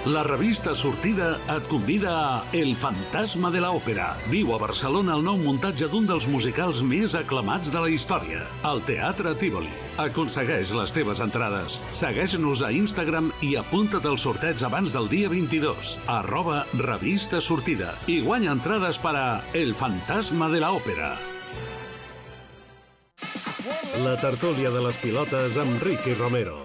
La revista Sortida et convida a El fantasma de l'òpera. Viu a Barcelona el nou muntatge d'un dels musicals més aclamats de la història, el Teatre Tívoli. Aconsegueix les teves entrades. Segueix-nos a Instagram i apunta't al sorteig abans del dia vint-i-dos. Arroba revista Sortida. I guanya entrades per a El fantasma de l'òpera. La tertúlia de les pilotes amb Ricky Romero.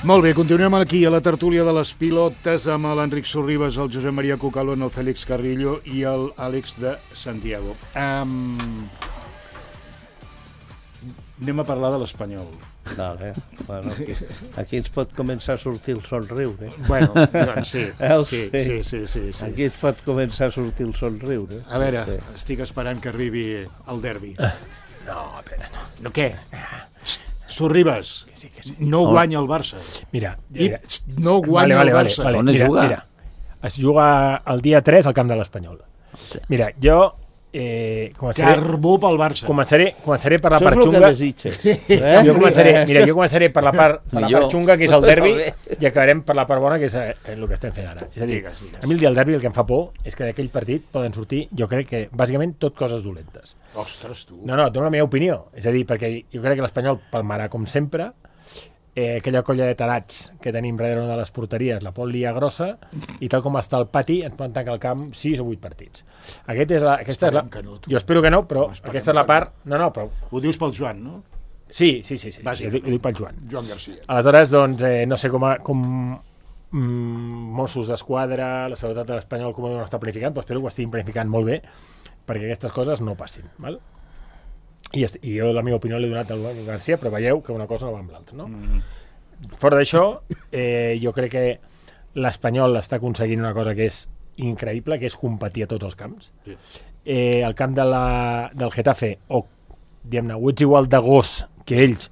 Molt bé, continuem aquí a la tertúlia de les pilotes amb l'Enric Sorribas, el Josep Maria Cucalón, el Fèlix Carrillo i el Àlex de Santiago. Um... Anem a parlar de l'Espanyol.
Vale. Bueno, aquí, aquí ens pot començar a sortir el somriure.
Bueno, doncs sí,
Veus?
sí, sí, sí, sí, sí.
Aquí ens pot començar a sortir el somriure.
A veure,
Sí.
estic esperant que arribi el derbi.
No, espera, no.
No, què? Sorribas,
Sí, que sí.
no guanya el Barça.
Mira,
I
mira.
no guanya
vale, vale,
el Barça.
Vale,
On es
mira,
juga?
mira. es juga el dia tres al camp de l'Espanyol. Mira, jo eh, començaré,
Carbó pel Barça.
començaré, començaré per la
Això
part
és el que
xunga.
desitges. Eh?
Jo començaré, mira, jo començaré per la part, per la
Millor.
part xunga, que és el derbi, i acabarem per la part bona, que és eh, el que estem fent ara. És a dir,
Digues, digues.
a mi el dia del derbi el que em fa por és que d'aquell partit poden sortir, jo crec que, bàsicament, tot coses dolentes.
Ostres, tu.
No, no, dono la meva opinió. És a dir, perquè jo crec que l'Espanyol palmarà com sempre, eh, aquella colla de tarats que tenim darrere una de les porteries la pot liar grossa, i tal com està el pati ens poden tancar al camp sis o vuit partits. Aquest és la, aquesta és la,
Esperem que no, tu.
jo espero que no, però
No, esperem
aquesta és la
que no.
part... No, no, però...
Ho dius pel Joan, no?
Sí, sí, sí, sí.
Bàsicament.
Ho dic, ho dic pel Joan.
Joan Garcia.
Aleshores, doncs, eh, no sé com, a, com mm, Mossos d'Esquadra, la seguretat de l'Espanyol, com ho deuen estar planificant, però espero que ho estiguin planificant molt bé perquè aquestes coses no passin. Val? I, est- I jo la meva opinió l'he donat al Joan Garcia, però veieu que una cosa no va amb l'altra, no?
Mm.
Fora d'això, eh, jo crec que l'Espanyol està aconseguint una cosa que és increïble, que és competir a tots els camps.
Sí.
Eh, el camp de la, del Getafe, o diguem-ne, o ets igual de gos que ells,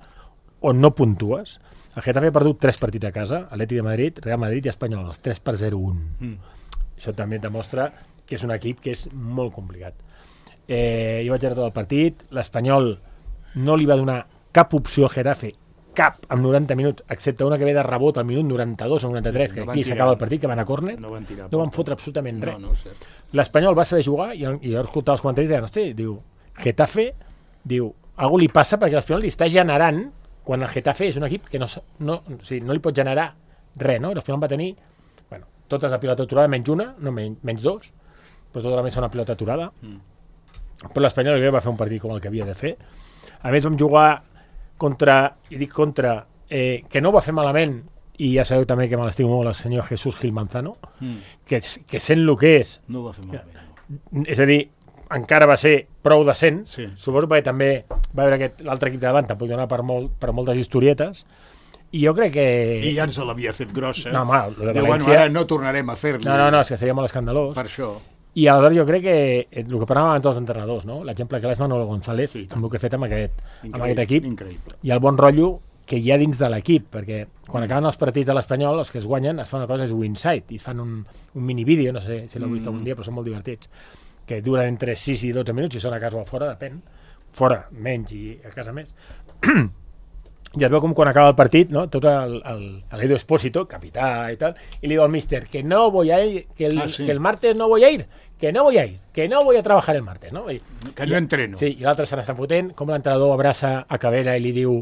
o no puntues. El Getafe ha perdut tres partits a casa, Atlètic de Madrid, Real Madrid i Espanyol, els tres per zero un.
Mm.
Això també demostra que és un equip que és molt complicat. Eh, jo vaig veure tot el partit, l'Espanyol no li va donar cap opció a Getafe, cap, amb noranta minuts, excepte una que ve de rebot al minut noranta-dos o noranta-tres,
Sí, sí,
que
no van
aquí
tirar.
s'acaba el partit, que van a córner,
No van tirar.
no van fotre absolutament
No,
res.
no, és cert.
L'Espanyol va saber jugar, i, i jo escoltava els comentaris i deien, hosti, diu, Getafe, diu, algú li passa perquè l'Espanyol li està generant, quan el Getafe és un equip que no, s- no, o sigui, no li pot generar res, no? L'Espanyol va tenir, bueno, totes la pilota aturada, menys una, no menys, menys dos, però tota la més una pilota aturada.
Mm.
Però l'Espanyol jo crec que va fer un partit com el que havia de fer. A més, vam jugar contra, i dic contra, eh, que no ho va fer malament, i ja sabeu també que me l'estimo molt el senyor Jesús Gil Manzano,
Mm.
que, que sent el que és,
No ho va fer malament. No.
és a dir, encara va ser prou decent,
Sí.
suposo perquè també va haver aquest l'altre equip de davant, tampoc donar per, molt, per moltes historietes, i jo crec que...
I ja ens l'havia fet grossa.
No, home, lo de
Diu, bueno,
València-
ara no tornarem a fer-li.
No, no, no, és que seria molt escandalós.
Per això.
I aleshores jo crec que eh, el que parlàvem abans dels entrenadors, no? L'exemple que és Manolo González,
Sí,
amb el que ha fet amb aquest, amb
Increïble,
aquest equip,
Increïble.
i el bon rotllo que hi ha dins de l'equip, perquè quan acaben els partits de l'Espanyol, els que es guanyen, es fan una cosa, és Winside, i es fan un, un minivídeo, no sé si l'heu vist
Mm.
algun dia, però són molt divertits, que duren entre sis i dotze minuts, i són a casa o a fora, depèn, fora menys i a casa més. I es veu com quan acaba el partit, no? Tot el, el, l'Edo Espósito, capità i tal, i li diu al míster que no voy a ir, que el,
Ah, sí.
que el martes no voy a ir, que no voy a ir, que no voy a trabajar el martes, no? I,
Que no entreno.
Sí, i l'altre se n'està fotent, com l'entrenador abraça a Cabrera i li diu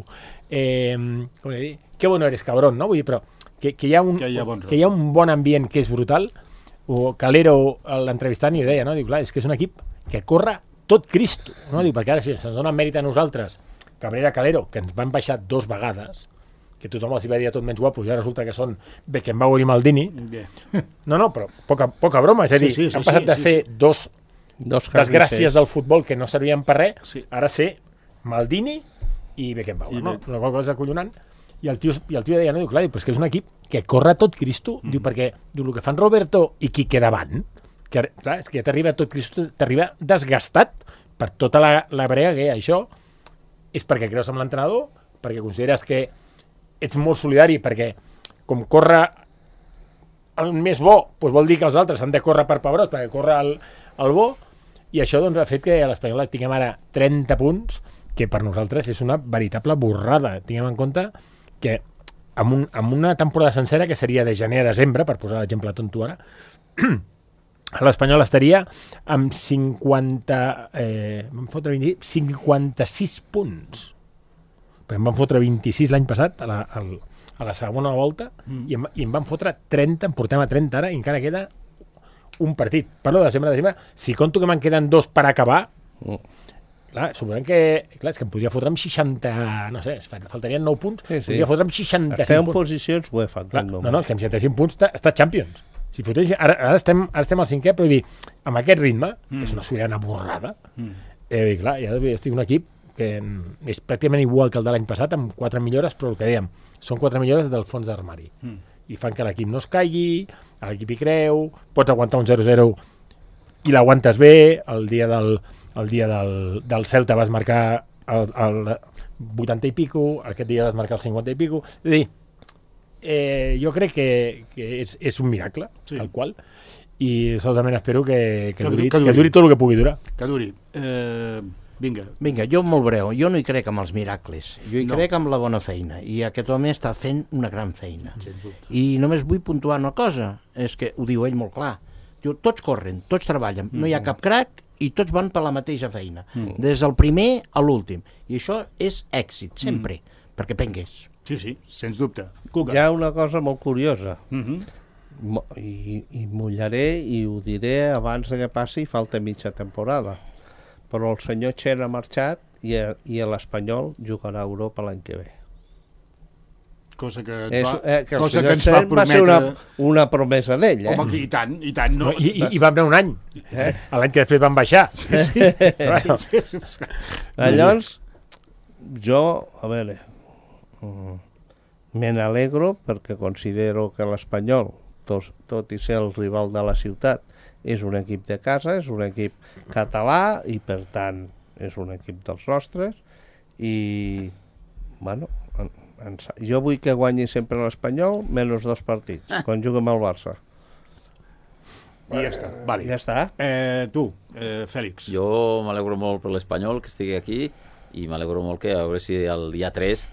eh, com li diu, que bueno eres, cabrón, no? Vull dir, però que, que, hi ha un,
Que hi ha bon
que hi ha un bon ambient que és brutal. O Calero, l'entrevistant, i ho deia, no? Diu, clar, és que és un equip que corre tot Cristo, no? Diu, perquè ara si se'ns dona mèrit a nosaltres, Cabrera, Calero, que ens van baixar dos vegades, que tothom els hi va dir a tot menys guapos, i ara resulta que són Beckenbauer i Maldini.
Bé.
No, no, però poca, poca broma, és a
Sí,
dir,
sí, sí,
han passat
sí,
de
sí,
ser
sí.
dos
Dos
desgràcies del futbol que no servien per res,
Sí.
ara ser Maldini i Beckenbauer,
I
no?
Be-
Una qual cosa acollonant. I el tio, i el tio deia, no, diu, clar, diu, però és que és un equip que corre tot Cristo,
Mm.
diu, perquè diu, el que fan Roberto i Quique davant, que, clar, és que ja t'arriba tot Cristo, t'arriba desgastat per tota la, la brega que hi ha. Això és perquè creus en l'entrenador, perquè consideres que ets molt solidari, perquè com corre el més bo, doncs vol dir que els altres han de córrer per pebrots, perquè corre el, el bo, i això doncs, ha fet que a l'Espanyol tinguem ara trenta punts, que per nosaltres és una veritable borrada. Tinguem en compte que amb, un, amb una temporada sencera, que seria de gener a desembre, per posar l'exemple tonto ara, l'Espanyol estaria amb cinquanta, eh, vam fotre vint, cinquanta-sis punts. Perquè em van fotre vint-i-sis l'any passat, a la, al, a la segona volta, mm. i, em, i em van fotre trenta, em portem a trenta ara, i encara queda un partit. Parlo de desembre a desembre. Si conto que me'n queden dos per acabar,
Mm.
clar, suposem que... Clar, és que em podria fotre amb seixanta... No sé, faltarien nou punts,
Sí, sí.
podria fotre amb seixanta-cinc
Esteu en
punts.
posicions UEFA.
Clar, no, no, és que amb seixanta-cinc punts està, està Champions. Si fotés, ara, ara, estem, ara estem al cinquè, però dir, amb aquest ritme, mm. és una sobirana borrada,
Mm.
eh, clar, ja estic un equip que és pràcticament igual que el de l'any passat, amb quatre millores, però el que dèiem, són quatre millores del fons d'armari.
Mm.
I fan que l'equip no es caigui, l'equip hi creu, pots aguantar un zero zero i l'aguantes bé, el dia del, el dia del, del Celta vas marcar el, el vuitanta i pico, aquest dia vas marcar el cinquanta i pico, és a dir, eh, jo crec que, que és, és un miracle, sí. tal qual, i solament espero que, que, que, duri, que, duri. que duri tot el que pugui durar.
Que duri. Eh, vinga.
Vinga, jo molt breu. Jo no hi crec amb els miracles. Jo hi no. crec amb la bona feina. I aquest home està fent una gran feina. I només vull puntuar una cosa. És que ho diu ell molt clar. Diu, tots corren, tots treballen. No hi ha cap crac i tots van per la mateixa feina. Mm. Des del primer a l'últim. I això és èxit, sempre. Mm. Perquè pengués.
Sí, sí, sens dubte. Cuca.
Hi ha una cosa molt curiosa.
Mhm.
I, i mullaré i ho diré abans que passi, falta mitja temporada, però el senyor Chen ha marxat i, a, i l'Espanyol jugarà a Europa l'any que ve.
Cosa que ens
És,
va,
eh, que
cosa que ens
Chen
va prometre...
va ser una, una promesa d'ell, eh?
Home, i tant, i tant. No,
no, I, i, I vam anar un any. Eh? L'any que després van baixar.
Sí, sí.
Bueno.
Llavors, jo, a veure, me n'alegro perquè considero que l'Espanyol, tot, tot i ser el rival de la ciutat, és un equip de casa, és un equip català i per tant és un equip dels nostres i bueno, en, en, jo vull que guanyi sempre l'Espanyol menys dos partits, ah. quan juguem al Barça.
I ja està, vale.
Ja està.
Eh, tu, eh, Fèlix.
Jo m'alegro molt per l'Espanyol que estigui aquí i m'alegro molt que a veure si el dia tres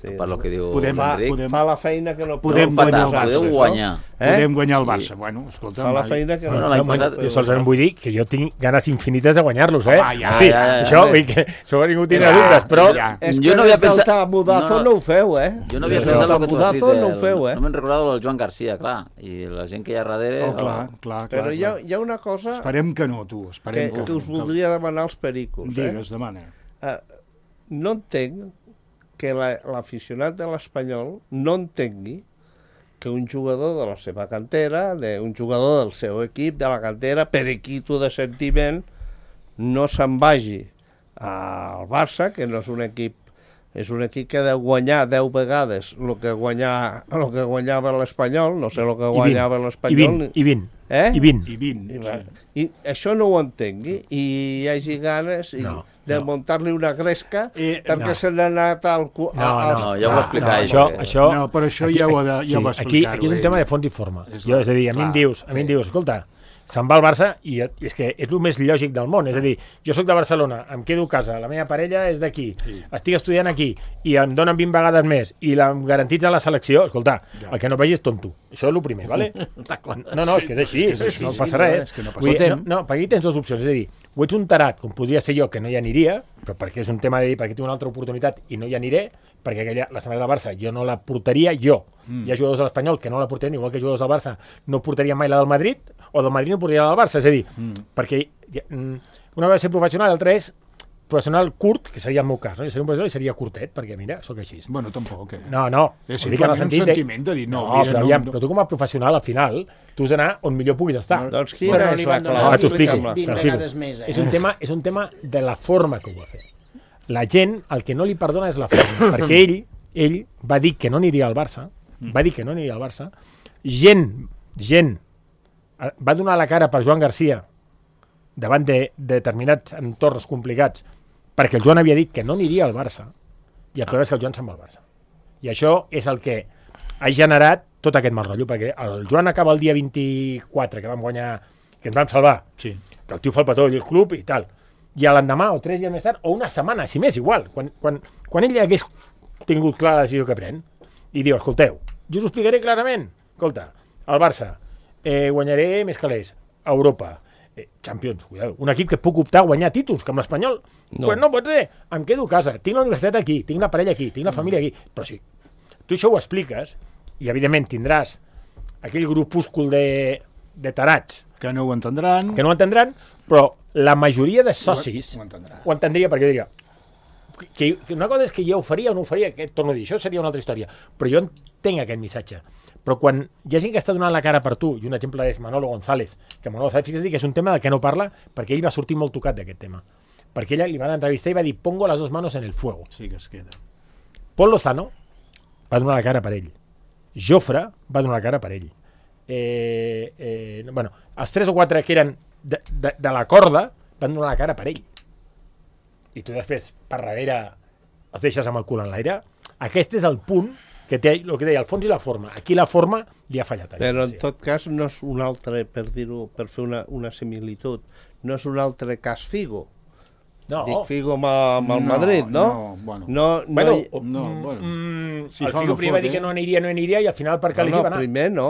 sí, per lo que diu
podem,
l'Enric.
Podem,
fa la feina que no
podem
no,
guanyar
el Barça. Podeu guanyar.
Eh? Podem guanyar el Barça. Bueno, escolta,
fa la feina que no...
no, no, passat, jo solament vull dir que jo tinc ganes infinites de guanyar-los, eh?
Ah, ja,
sí,
ja, ja,
això,
ja.
vull que això ningú tindrà dubtes, però...
Ja.
És
jo
que
no havia
des del
pensat...
tamudazo
no,
no ho feu, eh?
Jo no havia
Des
pensat
del
el que tu has dit.
tamudazo no ho
El,
feu, eh?
no me'n recordat el Joan Garcia, clar. I la gent que hi ha darrere...
Oh, clar, clar, clar.
Però hi ha,
clar.
hi ha una cosa
Esperem que no, tu. Esperem
que,
que,
que us voldria demanar als pericos.
Digues,
eh?
demana.
Uh, no entenc que l'aficionat la, de l'Espanyol no entengui que un jugador de la seva cantera, de, un jugador del seu equip, de la cantera, periquito de sentiment, no se'n vagi al Barça, que no és un equip, és un equip que deu guanyar deu vegades el que, guanyar, el que guanyava l'Espanyol, no sé el que guanyava l'Espanyol.
I vint,
eh?
i vint.
I vint.
I,
Sí.
I això no ho entengui i hi hagi ganes i,
no,
de
no.
muntar-li una gresca
eh,
perquè
no.
se n'ha anat al... Cu
No, no,
als...
no, ja ho va explicar
no,
ell,
això,
perquè-
això,
No, però això ja ho ha de- ja ho va
aquí,
explicar-ho
aquí és un
ell.
tema de fons i forma.
És
Jo,
clar,
és a dir, a mi em
clar,
dius, a mi em dius, escolta, se'n va al Barça i, i és que és el més lògic del món. És a dir, jo sóc de Barcelona, em quedo a casa, la meva parella és d'aquí, sí. estic estudiant aquí i em donen vint vegades més i la, em garantitza la selecció, escolta, ja. el que no vegi és tonto. Això és el primer, vale? No, no, és que és així,
és que és així,
no passa res.
és que no passa
Vull dir,
res.
no, no, perquè aquí tens dues opcions, és a dir, o ets un tarat, com podria ser jo, que no hi aniria, però perquè és un tema de dir, perquè tinc una altra oportunitat i no hi aniré, perquè aquella, la setmana del Barça jo no la portaria jo. Mm. Hi ha jugadors de l'Espanyol que no la portarien, igual que jugadors del Barça no portarien mai la del Madrid, o del Madrid no portarien la del Barça, és a dir, mm. perquè una vegada ser professional, l'altra és professional curt, que seria el meu cas, no? Jo seria un professional i seria curtet, perquè mira, sóc així.
Bueno, tampoc, eh?
No, no.
És
ho dic en el
simplement un
de-
sentiment de dir, no,
no,
mira,
però,
no-
aviam,
no-
però tu com a professional, al final, tu has d'anar on millor puguis estar.
No, doncs
Però
quina
no
és
li
la
van donar
Ah,
clau?
t'ho explico.
vint
t'ho explico.
vegades més, eh?
És un tema, és un tema de la forma que ho va fer. La gent, el que no li perdona és la forma, perquè ell, ell va dir que no aniria al Barça, va dir que no aniria al Barça, gent, gent, eh, va donar la cara per Joan Garcia davant de, de determinats entorns complicats, perquè el Joan havia dit que no aniria al Barça, i el problema és que el Joan se'n va al Barça. I això és el que ha generat tot aquest mal rotllo, perquè el Joan acaba el dia vint-i-quatre, que vam guanyar, que ens vam salvar,
Sí.
que el tio fa el petó i el club i tal, i a l'endemà o tres dies més tard, o una setmana, si més, igual, quan, quan, quan ell ja hagués tingut clara la decisió que pren, i diu, escolteu, jo us ho explicaré clarament, escolta, el Barça, eh, guanyaré més calés, a Europa, eh, Champions, cuidado, un equip que puc optar a guanyar títols, com l'Espanyol, no. Pues no pot ser, em quedo a casa, tinc la universitat aquí, tinc la parella aquí, tinc la família aquí, però sí, tu això ho expliques, i evidentment tindràs aquell grupúscul de, de tarats
Que no ho entendran.
que no ho entendran, però la majoria de socis
Ho entendrà.
ho entendria, perquè diria que, que una cosa és que jo ho faria o no ho faria, que torno a dir, això seria una altra història, però jo entenc aquest missatge. Però quan hi ha gent que està donant la cara per tu, i un exemple és Manolo González, que Manolo González, fixa't que és un tema del que no parla, perquè ell va sortir molt tocat d'aquest tema. Perquè ella li van entrevistar i va dir, pongo las dos manos en el fuego.
Sí que es queda.
Pol Lozano va donar la cara per ell. Jofre va donar la cara per ell. Eh, eh, bueno, els tres o quatre que eren de, de, de la corda van donar la cara per ell. I tu després, per darrere, els deixes amb el cul en l'aire. Aquest és el punt que té el que deia, el fons i la forma. Aquí la forma li ha fallat.
Però en tot cas no és un altre, per dir-ho, per fer una, una similitud, no és un altre cas Figo.
No.
Dic Figo amb, amb el Madrid, no?
No, bueno.
No, no,
Bueno,
hi-
No, bueno.
Mm,
Si
el
fa
Figo
una
primer va
foto,
dir que
eh?
no aniria, no aniria, i al final per què
no,
li
no,
va anar?
primer no.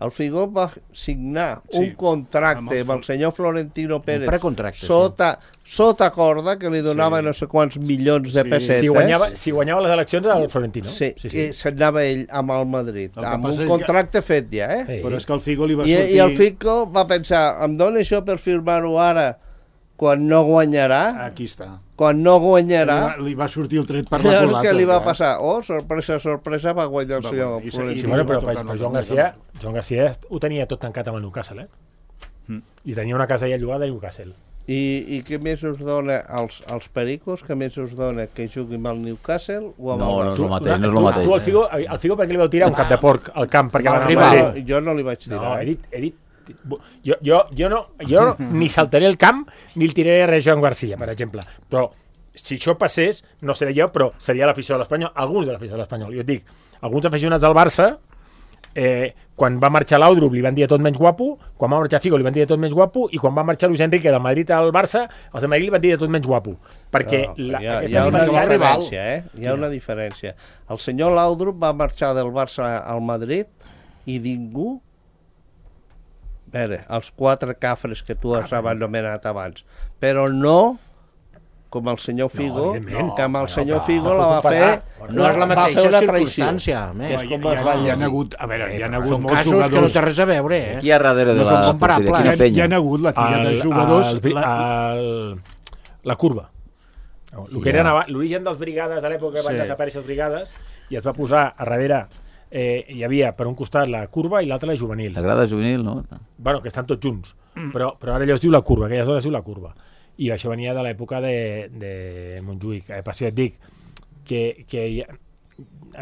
El Figo va signar
Sí,
un contracte
amb el
amb el senyor Florentino Pérez
precontracte, sí.
sota, sota corda que li donava no sé quants milions de
Sí.
pessetes.
Si guanyava, si guanyava les eleccions era el Florentino.
Sí,
sí,
i s'anava ell amb el Madrid,
El que
amb
passa
un
és que-
contracte fet ja, eh?
Sí.
Però és que el Figo li va
I,
sortir...
I el Figo va pensar, em dona això per firmar-ho ara quan no guanyarà?
Aquí està.
Quan no
Li
guanyarà?
va, li va sortir el tret per la
Llavors,
culata.
què li va
clar.
passar? Oh, sorpresa, sorpresa, va guanyar el
Va
senyor
guanyar. I se-
Florentino.
Sí,
i
bueno,
li va
però,
tocar
però,
una
però Joan
cosa.
Garcia, Joan Garcia ho tenia tot tancat amb el Newcastle, eh?
Mm.
I tenia una casa allà llogada a Newcastle.
I, I què més us dona als, als Pericos? Què més us dona que jugui amb el Newcastle o amb
No,
el
no és
Barça?
el mateix, no és
tu,
el mateix.
tu al Figo, al Figo per què li vau tirar un cap de porc al camp perquè va anar
Rival,
a Madrid?
jo no li vaig tirar.
No,
eh?
he dit, he dit jo, jo, jo, no, jo ni saltaré el camp ni el tiraré res a Joan Garcia, per exemple. Però si això passés, no seré jo, però seria l'afició de l'Espanyol, alguns de l'afició de l'Espanyol. Jo et dic, alguns aficionats del Barça, eh, quan va marxar l'Audrup li van dir tot menys guapo, quan va marxar Figo li van dir tot menys guapo, i quan va marxar Luis Enrique del Madrid al Barça, els de Madrid li van dir tot menys guapo. Perquè
No,
la,
hi ha,
aquesta
hi ha una
rivalitat rival...
diferència, eh? Hi ha una diferència. El senyor Laudrup va marxar del Barça al Madrid i ningú... A veure, els quatre cafres que tu has anomenat abans, però no com el senyor Figo,
evidentment.
que amb el
No,
senyor
no,
Figo
no
la va
puc
fer...
comparar.
No és la
va fer
mateixa
una traïció.
circumstància, a
Que
més.
és com
Hi
es
ha,
va
hi ha
llegir.
hagut, a veure, hi ha hagut
Són
molts
casos que no
jugadors...
té res a veure, eh?
Aquí a darrere de
No
la
són comparables.
porteria,
Hi ha,
quina penya.
hi ha hagut la tira de
el-
jugadors...
el-
la,
el- la curva. El que eren aba- l'origen dels brigades a l'època van
Sí.
desaparèixer les brigades i es va posar a darrere, eh, hi havia per un costat la curva i l'altre la juvenil.
La grada juvenil, no?
Bueno, que estan tots junts, però, però ara allò es diu la curva, aquelles hores es diu la curva. I això venia de l'època de, de Montjuïc. Eh, per si et dic que, que ja,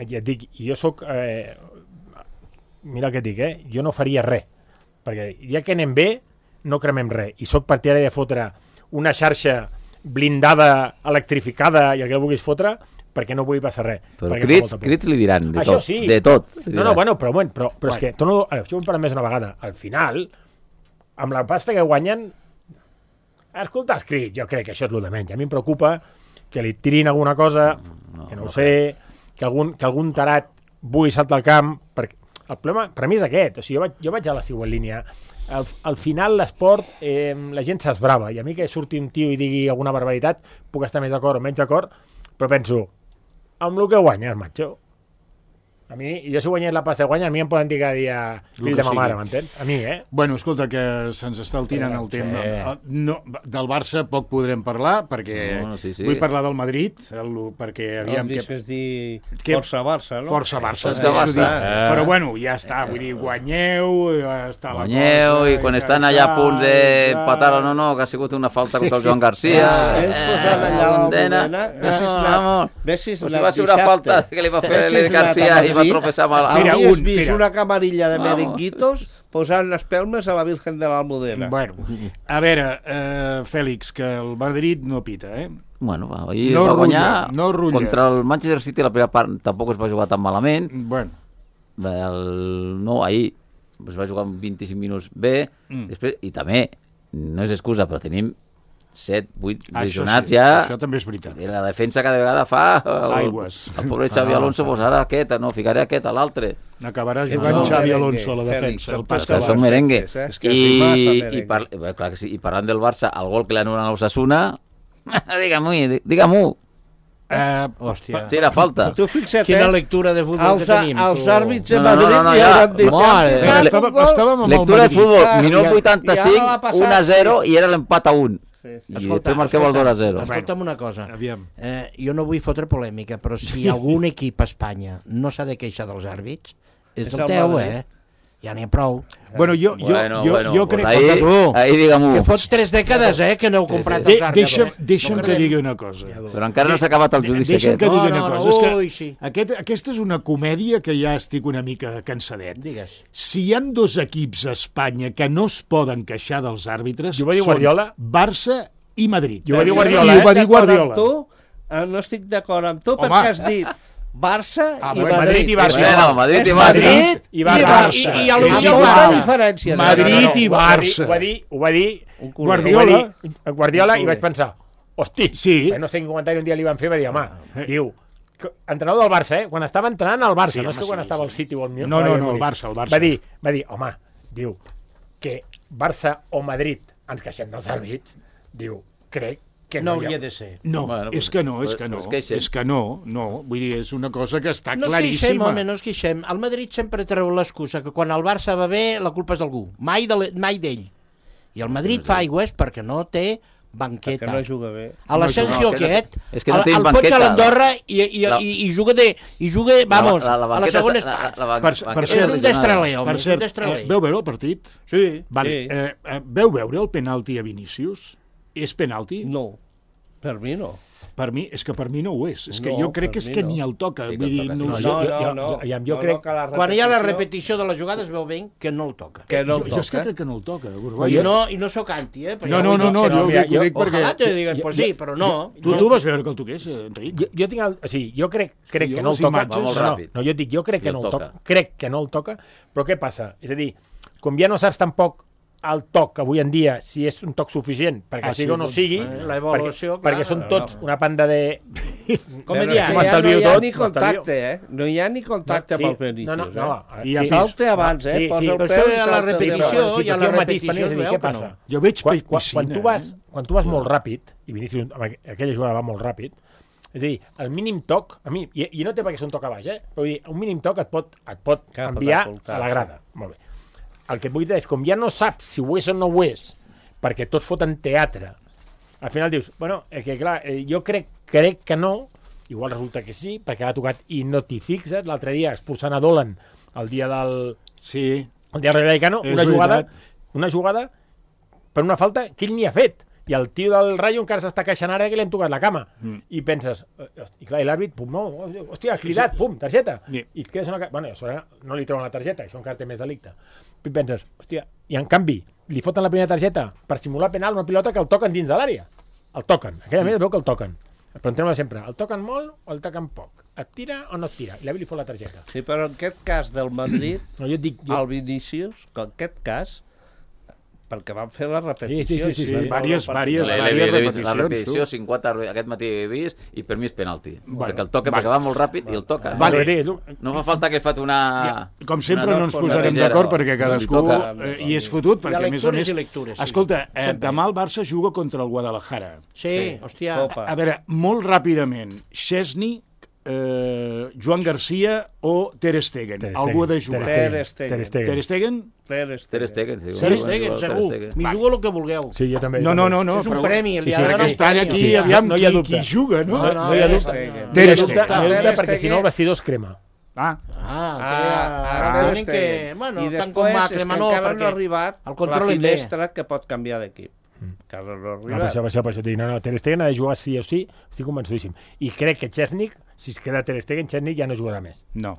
ja et dic, jo sóc... Eh, mira el que et dic, eh? Jo no faria res, perquè ja que anem bé, no cremem res. I sóc partidari de fotre una xarxa blindada, electrificada i el que vulguis fotre, perquè no vull passar res.
Però
perquè fa
crits,
molta por.
crits li diran, de
Això
tot.
sí.
De tot. li
No,
diran.
no, bueno, però, bueno, però, però és que, torno, això ho hem parlat més una vegada, al final, amb la pasta que guanyen, escoltar els crits, jo crec que això és el de menys. A mi em preocupa que li tirin alguna cosa,
no,
que no ho
no
sé, que algun, que algun tarat vulgui saltar al camp, perquè el problema per mi és aquest, o sigui, jo vaig, jo vaig a la següent línia. Al, al final l'esport, eh, la gent s'esbrava, i a mi que surti un tio i digui alguna barbaritat, puc estar més d'acord o menys d'acord, però penso, amb el que guanyes, macho. A mi, jo si guanyés la pasta de guanya, a mi em poden dir cada dia fill
que
de ma
sigui.
mare, m'entens? A mi, eh?
Bueno, escolta, que se'ns està el tirant el tema.
sí.
No, del Barça poc podrem parlar, perquè
No, sí, sí.
vull parlar del Madrid, el, perquè aviam...
No,
que,
deixes dir
que-
Força Barça, no?
Força Barça,
Força
deixo
Barça.
dir.
Eh.
Però bueno, ja està, vull dir, guanyeu, ja està la
Guanyeu,
cosa,
i quan
ja
estan
està,
allà a punt
ja
d'empatar
està.
o no, no, que ha sigut una falta contra el Joan Garcia.
Eh, ells posant allà la
condena.
Almudena,
No,
ves si és la-
vamos.
ves si és
Pues
la
si va ser una
dissabte.
falta que li va fer
Ves si
l'Eder
és la
Garcia i va
Madrid.
tropeçar amb la...
Mira,
Hauries
un,
vist
mira.
una camarilla de
Vamos.
merenguitos posant les pelmes a la Virgen de l'Almudena.
Bueno, a veure, eh, Fèlix, que el Madrid no pita, eh?
Bueno, va, ahir
No
va
rulla,
guanyar
no rulla.
contra el Manchester City, la primera part tampoc es va jugar tan malament.
Bueno,
El, no, ahir es va jugar vint-i-cinc minuts bé,
Mm.
després, i també, no és excusa, però tenim set, vuit
això
lesionats
sí,
ja.
això també és veritat.
I la defensa cada vegada fa... El,
Aigües.
el pobre Xavi
Ah,
Alonso, pues ara aquest, no, ficaré aquest a l'altre.
Acabarà
És
jugant
un
Xavi
merengue,
Alonso a la
Fèlix,
defensa.
el
El
pas
És
pasta
que són merengue.
eh? És que
I,
sí, massa
i,
merengue.
par, bé, clar que sí, i parlant del Barça, el gol que li anulen a l'Osasuna, digue-m'ho, digue-m'ho.
Eh,
Hòstia.
Sí, era falta.
Tu fixa't,
Quina
eh?
lectura de futbol
Els,
que tenim,
els
tu.
àrbits de
No, no, no,
Madrid
no,
ja
ja-
han dit...
Mare,
"Han picat
estava,
un gol".
estàvem amb el
Lectura de
Madrid.
futbol,
Ah,
minut
i- i
vuitanta-cinc,
ara l'ha passat,
un a zero
sí.
i era l'empat a un.
Sí, sí.
I
Escolta,
després marqueu el dos a zero.
Escolta'm una cosa.
Aviam.
Eh, jo no vull fotre polèmica, però si algun equip a Espanya no s'ha de queixar dels àrbits, és
És
el
el
teu,
Madrid.
eh? Ja n'hi ha prou.
Bueno, jo, jo,
Bueno,
jo,
bueno,
jo
pues
crec
ahí,
Tu,
ahí digue-m'ho.
Que fots tres dècades, eh, que no heu comprat
De,
els àrbits.
deixa'm,
eh?
deixa'm
No
que
credem.
digui una cosa.
Però encara no s'ha acabat el judici
Deixa'm
aquest.
que digui
No,
una
no, no,
cosa. És que
ui, sí.
aquest, aquesta és una comèdia que ja estic una mica cansadet.
Digues.
Si hi han dos equips a Espanya que no es poden queixar dels àrbitres,
I ho va dir
són
Guardiola.
Barça i Madrid.
I ho va dir
I
Guardiola,
ho
eh?
va dir
D'acord amb
Guardiola.
Tu, eh, no estic d'acord amb tu
Home.
perquè has dit Barça
Ah,
i
bueno,
Madrid.
Madrid i Barça.
Bueno, Madrid
És
i Barça.
Madrid
I
i
Barça.
Barça.
I- i a
Amb
l'Unió
molta
Barça.
diferència.
Madrid i
ho va dir-
Barça.
Ho va dir, ho va dir
Un culer.
Guardiola.
Ho va dir Guardiola i vaig pensar, hosti,
Sí.
no sé quin comentari un dia li van fer, va dir, home, diu, que- entrenador del Barça, eh? Quan estava entrenant al Barça,
Sí,
no és
home,
que quan
sí,
estava al
sí.
City o al Milan.
No, no, no, el Barça, el Barça.
Va dir, va dir, home, diu, que Barça o Madrid ens queixem dels àrbits, diu, crec que
No
no, hi
hauria
ha...
de ser.
No,
Bueno,
és que no, és
pues-
que no.
pues queixem.
És que no, no. Vull dir, és una cosa que està
No es queixem,
claríssima.
home, no es queixem. El Madrid sempre treu l'excusa que quan el Barça va bé la culpa és d'algú, mai de l'e- mai d'ell. I el Madrid fa aigües perquè no té banqueta.
Que no juga bé.
A l'Asensio
No, que no-
aquest,
és que no
el,
tenim
el fots
banqueta.
a l'Andorra i, i,
La-
i, i juga de, i juga, vamos,
La- la- la
a la
banqueta
segona
està- la-
part.
la ban-
Per-
banqueta
per
És
cert,
un
lesionada.
destraler, home,
Per
és un
cert,
destraler.
eh, veu veure el partit?
Sí,
Vale.
sí.
Eh, eh, veu veure el penalti a Vinícius? És penalti?
No, per mi no.
Per mi, és que per mi no ho és. És que
No,
jo crec que
per
és
mi
que
no.
ni el toca.
Sí que
Vull
el
dir,
toca, sí.
no,
No,
sé.
no,
jo-
no.
jo-
no,
jo- jo
no,
crec-
no, que la
Quan hi ha la
repetició-
repetició de la jugada es veu ben que no el toca.
Que no el
Jo és que
toca.
crec que no el toca.
I
Borbolla.
no, i no sóc anti, eh? Però
No,
ja
no,
ho he
no,
dit
no,
sempre.
jo
mira,
ho dic, ho dic
jo-
perquè...
Ojalà te diguen,
jo-
pues
jo-
sí, però no.
Tu,
no.
tu vas veure que el toqués, eh, Enric?
Jo, jo tinc el, o sigui, jo crec, crec
Jo
que no el
les
toca.
imatges-
Va molt
no, no,
ràpid.
no, jo et dic, jo crec
I
que
el
no el
toca.
toca. Crec que no el toca, però què passa? És a dir, com ja no saps tampoc el toc avui en dia, si és un toc suficient, perquè
Ah,
sigui
sí,
o no
doncs,
sigui,
eh, la evaluació,
perquè,
clar,
perquè són
no,
tots
no.
una panda de... Com
Però
he dit,
és que ja
m'estalvio
no hi ha
tot,
ni
m'estalvio.
contacte, eh? No hi ha ni contacte pel
No,
Vinícius,
no, no.
eh? I
sí,
salta abans, eh?
Sí,
Posa
sí,
el
però
peu
això
i
ja la
salta
repetició,
endavant.
ja la
hi ha un matís
repetició
penés,
es
és a dir,
veu
què
que no.
passa?
Jo veig
Quan, quan,
piscina,
quan, tu vas,
eh?
quan tu vas molt ràpid, i Vinícius, amb aqu- aquella jugada va molt ràpid, és a dir, el mínim toc, a mi, i, i no té per què ser un toc a baix, eh? però vull dir, un mínim toc et pot, et pot
Clar, pot
enviar
escoltar,
a la grada. Molt bé. El que et vull dir és, com ja no saps si ho és o no ho és, perquè tots foten teatre, al final dius, bueno, és que clar, eh, jo crec, crec que no, igual resulta que sí, perquè l'ha tocat i no t'hi fixes. L'altre dia expulsant a Dolan el dia del,
Sí.
el dia del Rayo Vallecano,
És
una jugada,
veritat.
una jugada per una falta que ell ni ha fet. I el tio del Rayo encara s'està queixant ara que li han tocat la cama. Mm. I penses, eh, i clar, i l'àrbit, pum, no, hòstia, ha cridat, pum, targeta.
Sí.
I et quedes una... Bueno, a sobre no li treuen la targeta, això encara té més delicte. I penses, hòstia, i en canvi, li foten la primera targeta per simular penal una pilota que el toquen dins de l'àrea. El toquen, aquella més veu que el toquen. Però entrem sempre, el toquen molt o el toquen poc? Et tira o no et tira? I l'àrbit li fot la targeta.
Sí, però en aquest cas del Madrid,
No, jo et dic... Jo...
el Vinícius, que en aquest cas, perquè van fer la repetició...
Sí, sí, sí, sí,
i
sí.
veure el
Vàries-
partit.
vàries-
L'he-
vàries
l'he vist,
repeticions,
la repetició,
tu.
cinquanta, aquest matí he vist, i per mi és penalti.
Bueno,
perquè el toca,
vale.
perquè va molt ràpid i el toca.
Vale.
No fa falta que fat una...
Ja, com sempre
una-
no ens
una
posarem
tijera,
d'acord
o-
perquè
no li
cadascú
toca.
eh, hi és fotut,
Hi ha
perquè a més a
lectures
més...
i lectures, sí.
Escolta, eh,
Sempre.
demà el Barça juga contra el Guadalajara.
Sí, hòstia.
Copa.
A veure, molt ràpidament, Szczesny, eh, Joan Garcia o Ter Stegen.
Ter Stegen,
Algú ha de
Ter
jugar.
Stegen.
Ter Stegen.
Ter Stegen.
Ter Stegen?
Ter Stegen.
Ter Stegen, sí.
Ter
Bueno,
Stegen,
Ter
segur.
Stegen.
M'hi jugo el que vulgueu.
Sí, jo també.
No, no, no. no
És un
però-
premi, li
sí,
ha
sí,
de donar
aquest
un
any
premi.
aquí,
Sí,
aviam
no hi ha
qui,
dubte.
qui juga, no?
No, no,
no hi ha
Ter
dubte.
Stegen.
No
Ter
hi ha dubte,
Stegen.
no hi ha dubte
Ter
perquè si no el
Stegen.
vestidor es crema.
Ah,
Ah,
Ah,
ah,
Ter
tenen que...
Stegen.
Bueno,
I
tant com
després
va
és que
cremar no,
encara no
perquè
ha arribat
el
la
controlin bé.
finestra que pot canviar d'equip. Encara no ha
No, per això,
arribat.
per això, per això t'ho dic, no, no, Ter Stegen ha de jugar sí o sí, estic convençudíssim. I crec que Chesnik, si es queda Ter Stegen, Chesnik ja no jugarà més.
no.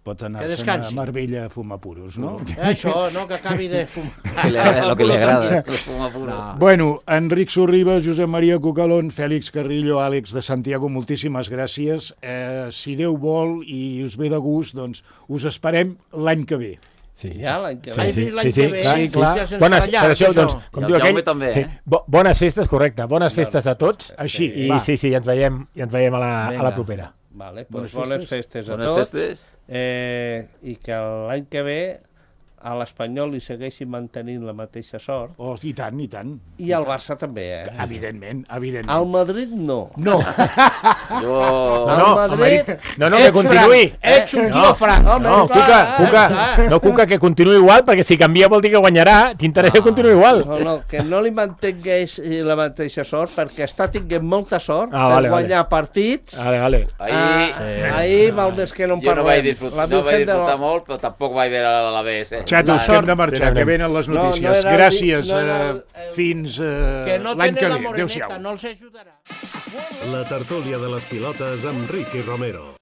Pot anar
Que
a
descansi.
Marbella a fumar puros, no?
Eh, Això, no, que acabi de fumar.
Que li agrada, lo que li agrada. El fuma puro.
Bueno, Enric Sorriba, Josep Maria Cucalón, Fèlix Carrillo, Àlex de Santiago, moltíssimes gràcies. Eh, si Déu vol i us ve de gust, doncs us esperem l'any que ve.
Sí,
Ja l'any que
sí,
ve.
Has
sí,
vist l'any
sí,
que
sí,
ve?
clar,
Sí,
clar.
clar.
Bones,
Sense
per això,
ratllar,
doncs,
això.
com
I el
diu aquell...
Jaume també, eh?
bo, bones festes, correcte. Bones festes a tots.
Així,
I
va.
sí, sí, i ens veiem, i ens veiem a la, a
Vinga.
la propera.
Vale,
Bones
doncs bones festes a
Bones
tots.
festes.
Eh, I que l'any que ve a l'Espanyol li segueixi mantenint la mateixa sort.
Oh, i tant, i tant.
I al Barça també, eh?
Evidentment, evidentment.
Al Madrid no.
No,
Jo...
Al
no,
Madrid...
No, no, que
ets
continuï.
franc, Ets un
No,
tio franc. Home,
No,
clar,
Cuca,
eh,
Cuca,
clar.
no, Cuca, que continuï igual, perquè si canvia vol dir que guanyarà. T'interessa que continuï igual.
No, no, que no li mantingués eh, la mateixa sort, perquè està tinguent molta sort
Ah,
per
vale,
guanyar partits.
Vale, vale.
Ahir...
Ah, ahir val més que no en
Jo no vaig
parlem.
disfrutar,
La
no vaig
Virgen de la-
disfrutar molt, però tampoc vaig veure a la B S.
xatos, que hem de marxar,
Sí,
que
anem.
venen les
No, no
notícies.
era el-
Gràcies,
no era el-
eh, fins eh,
Que no
l'any que
tenen la
ve.
moreneta,
Adéu-siau.
no els ajudarà.
La tertúlia de les pilotes amb Ricky Romero.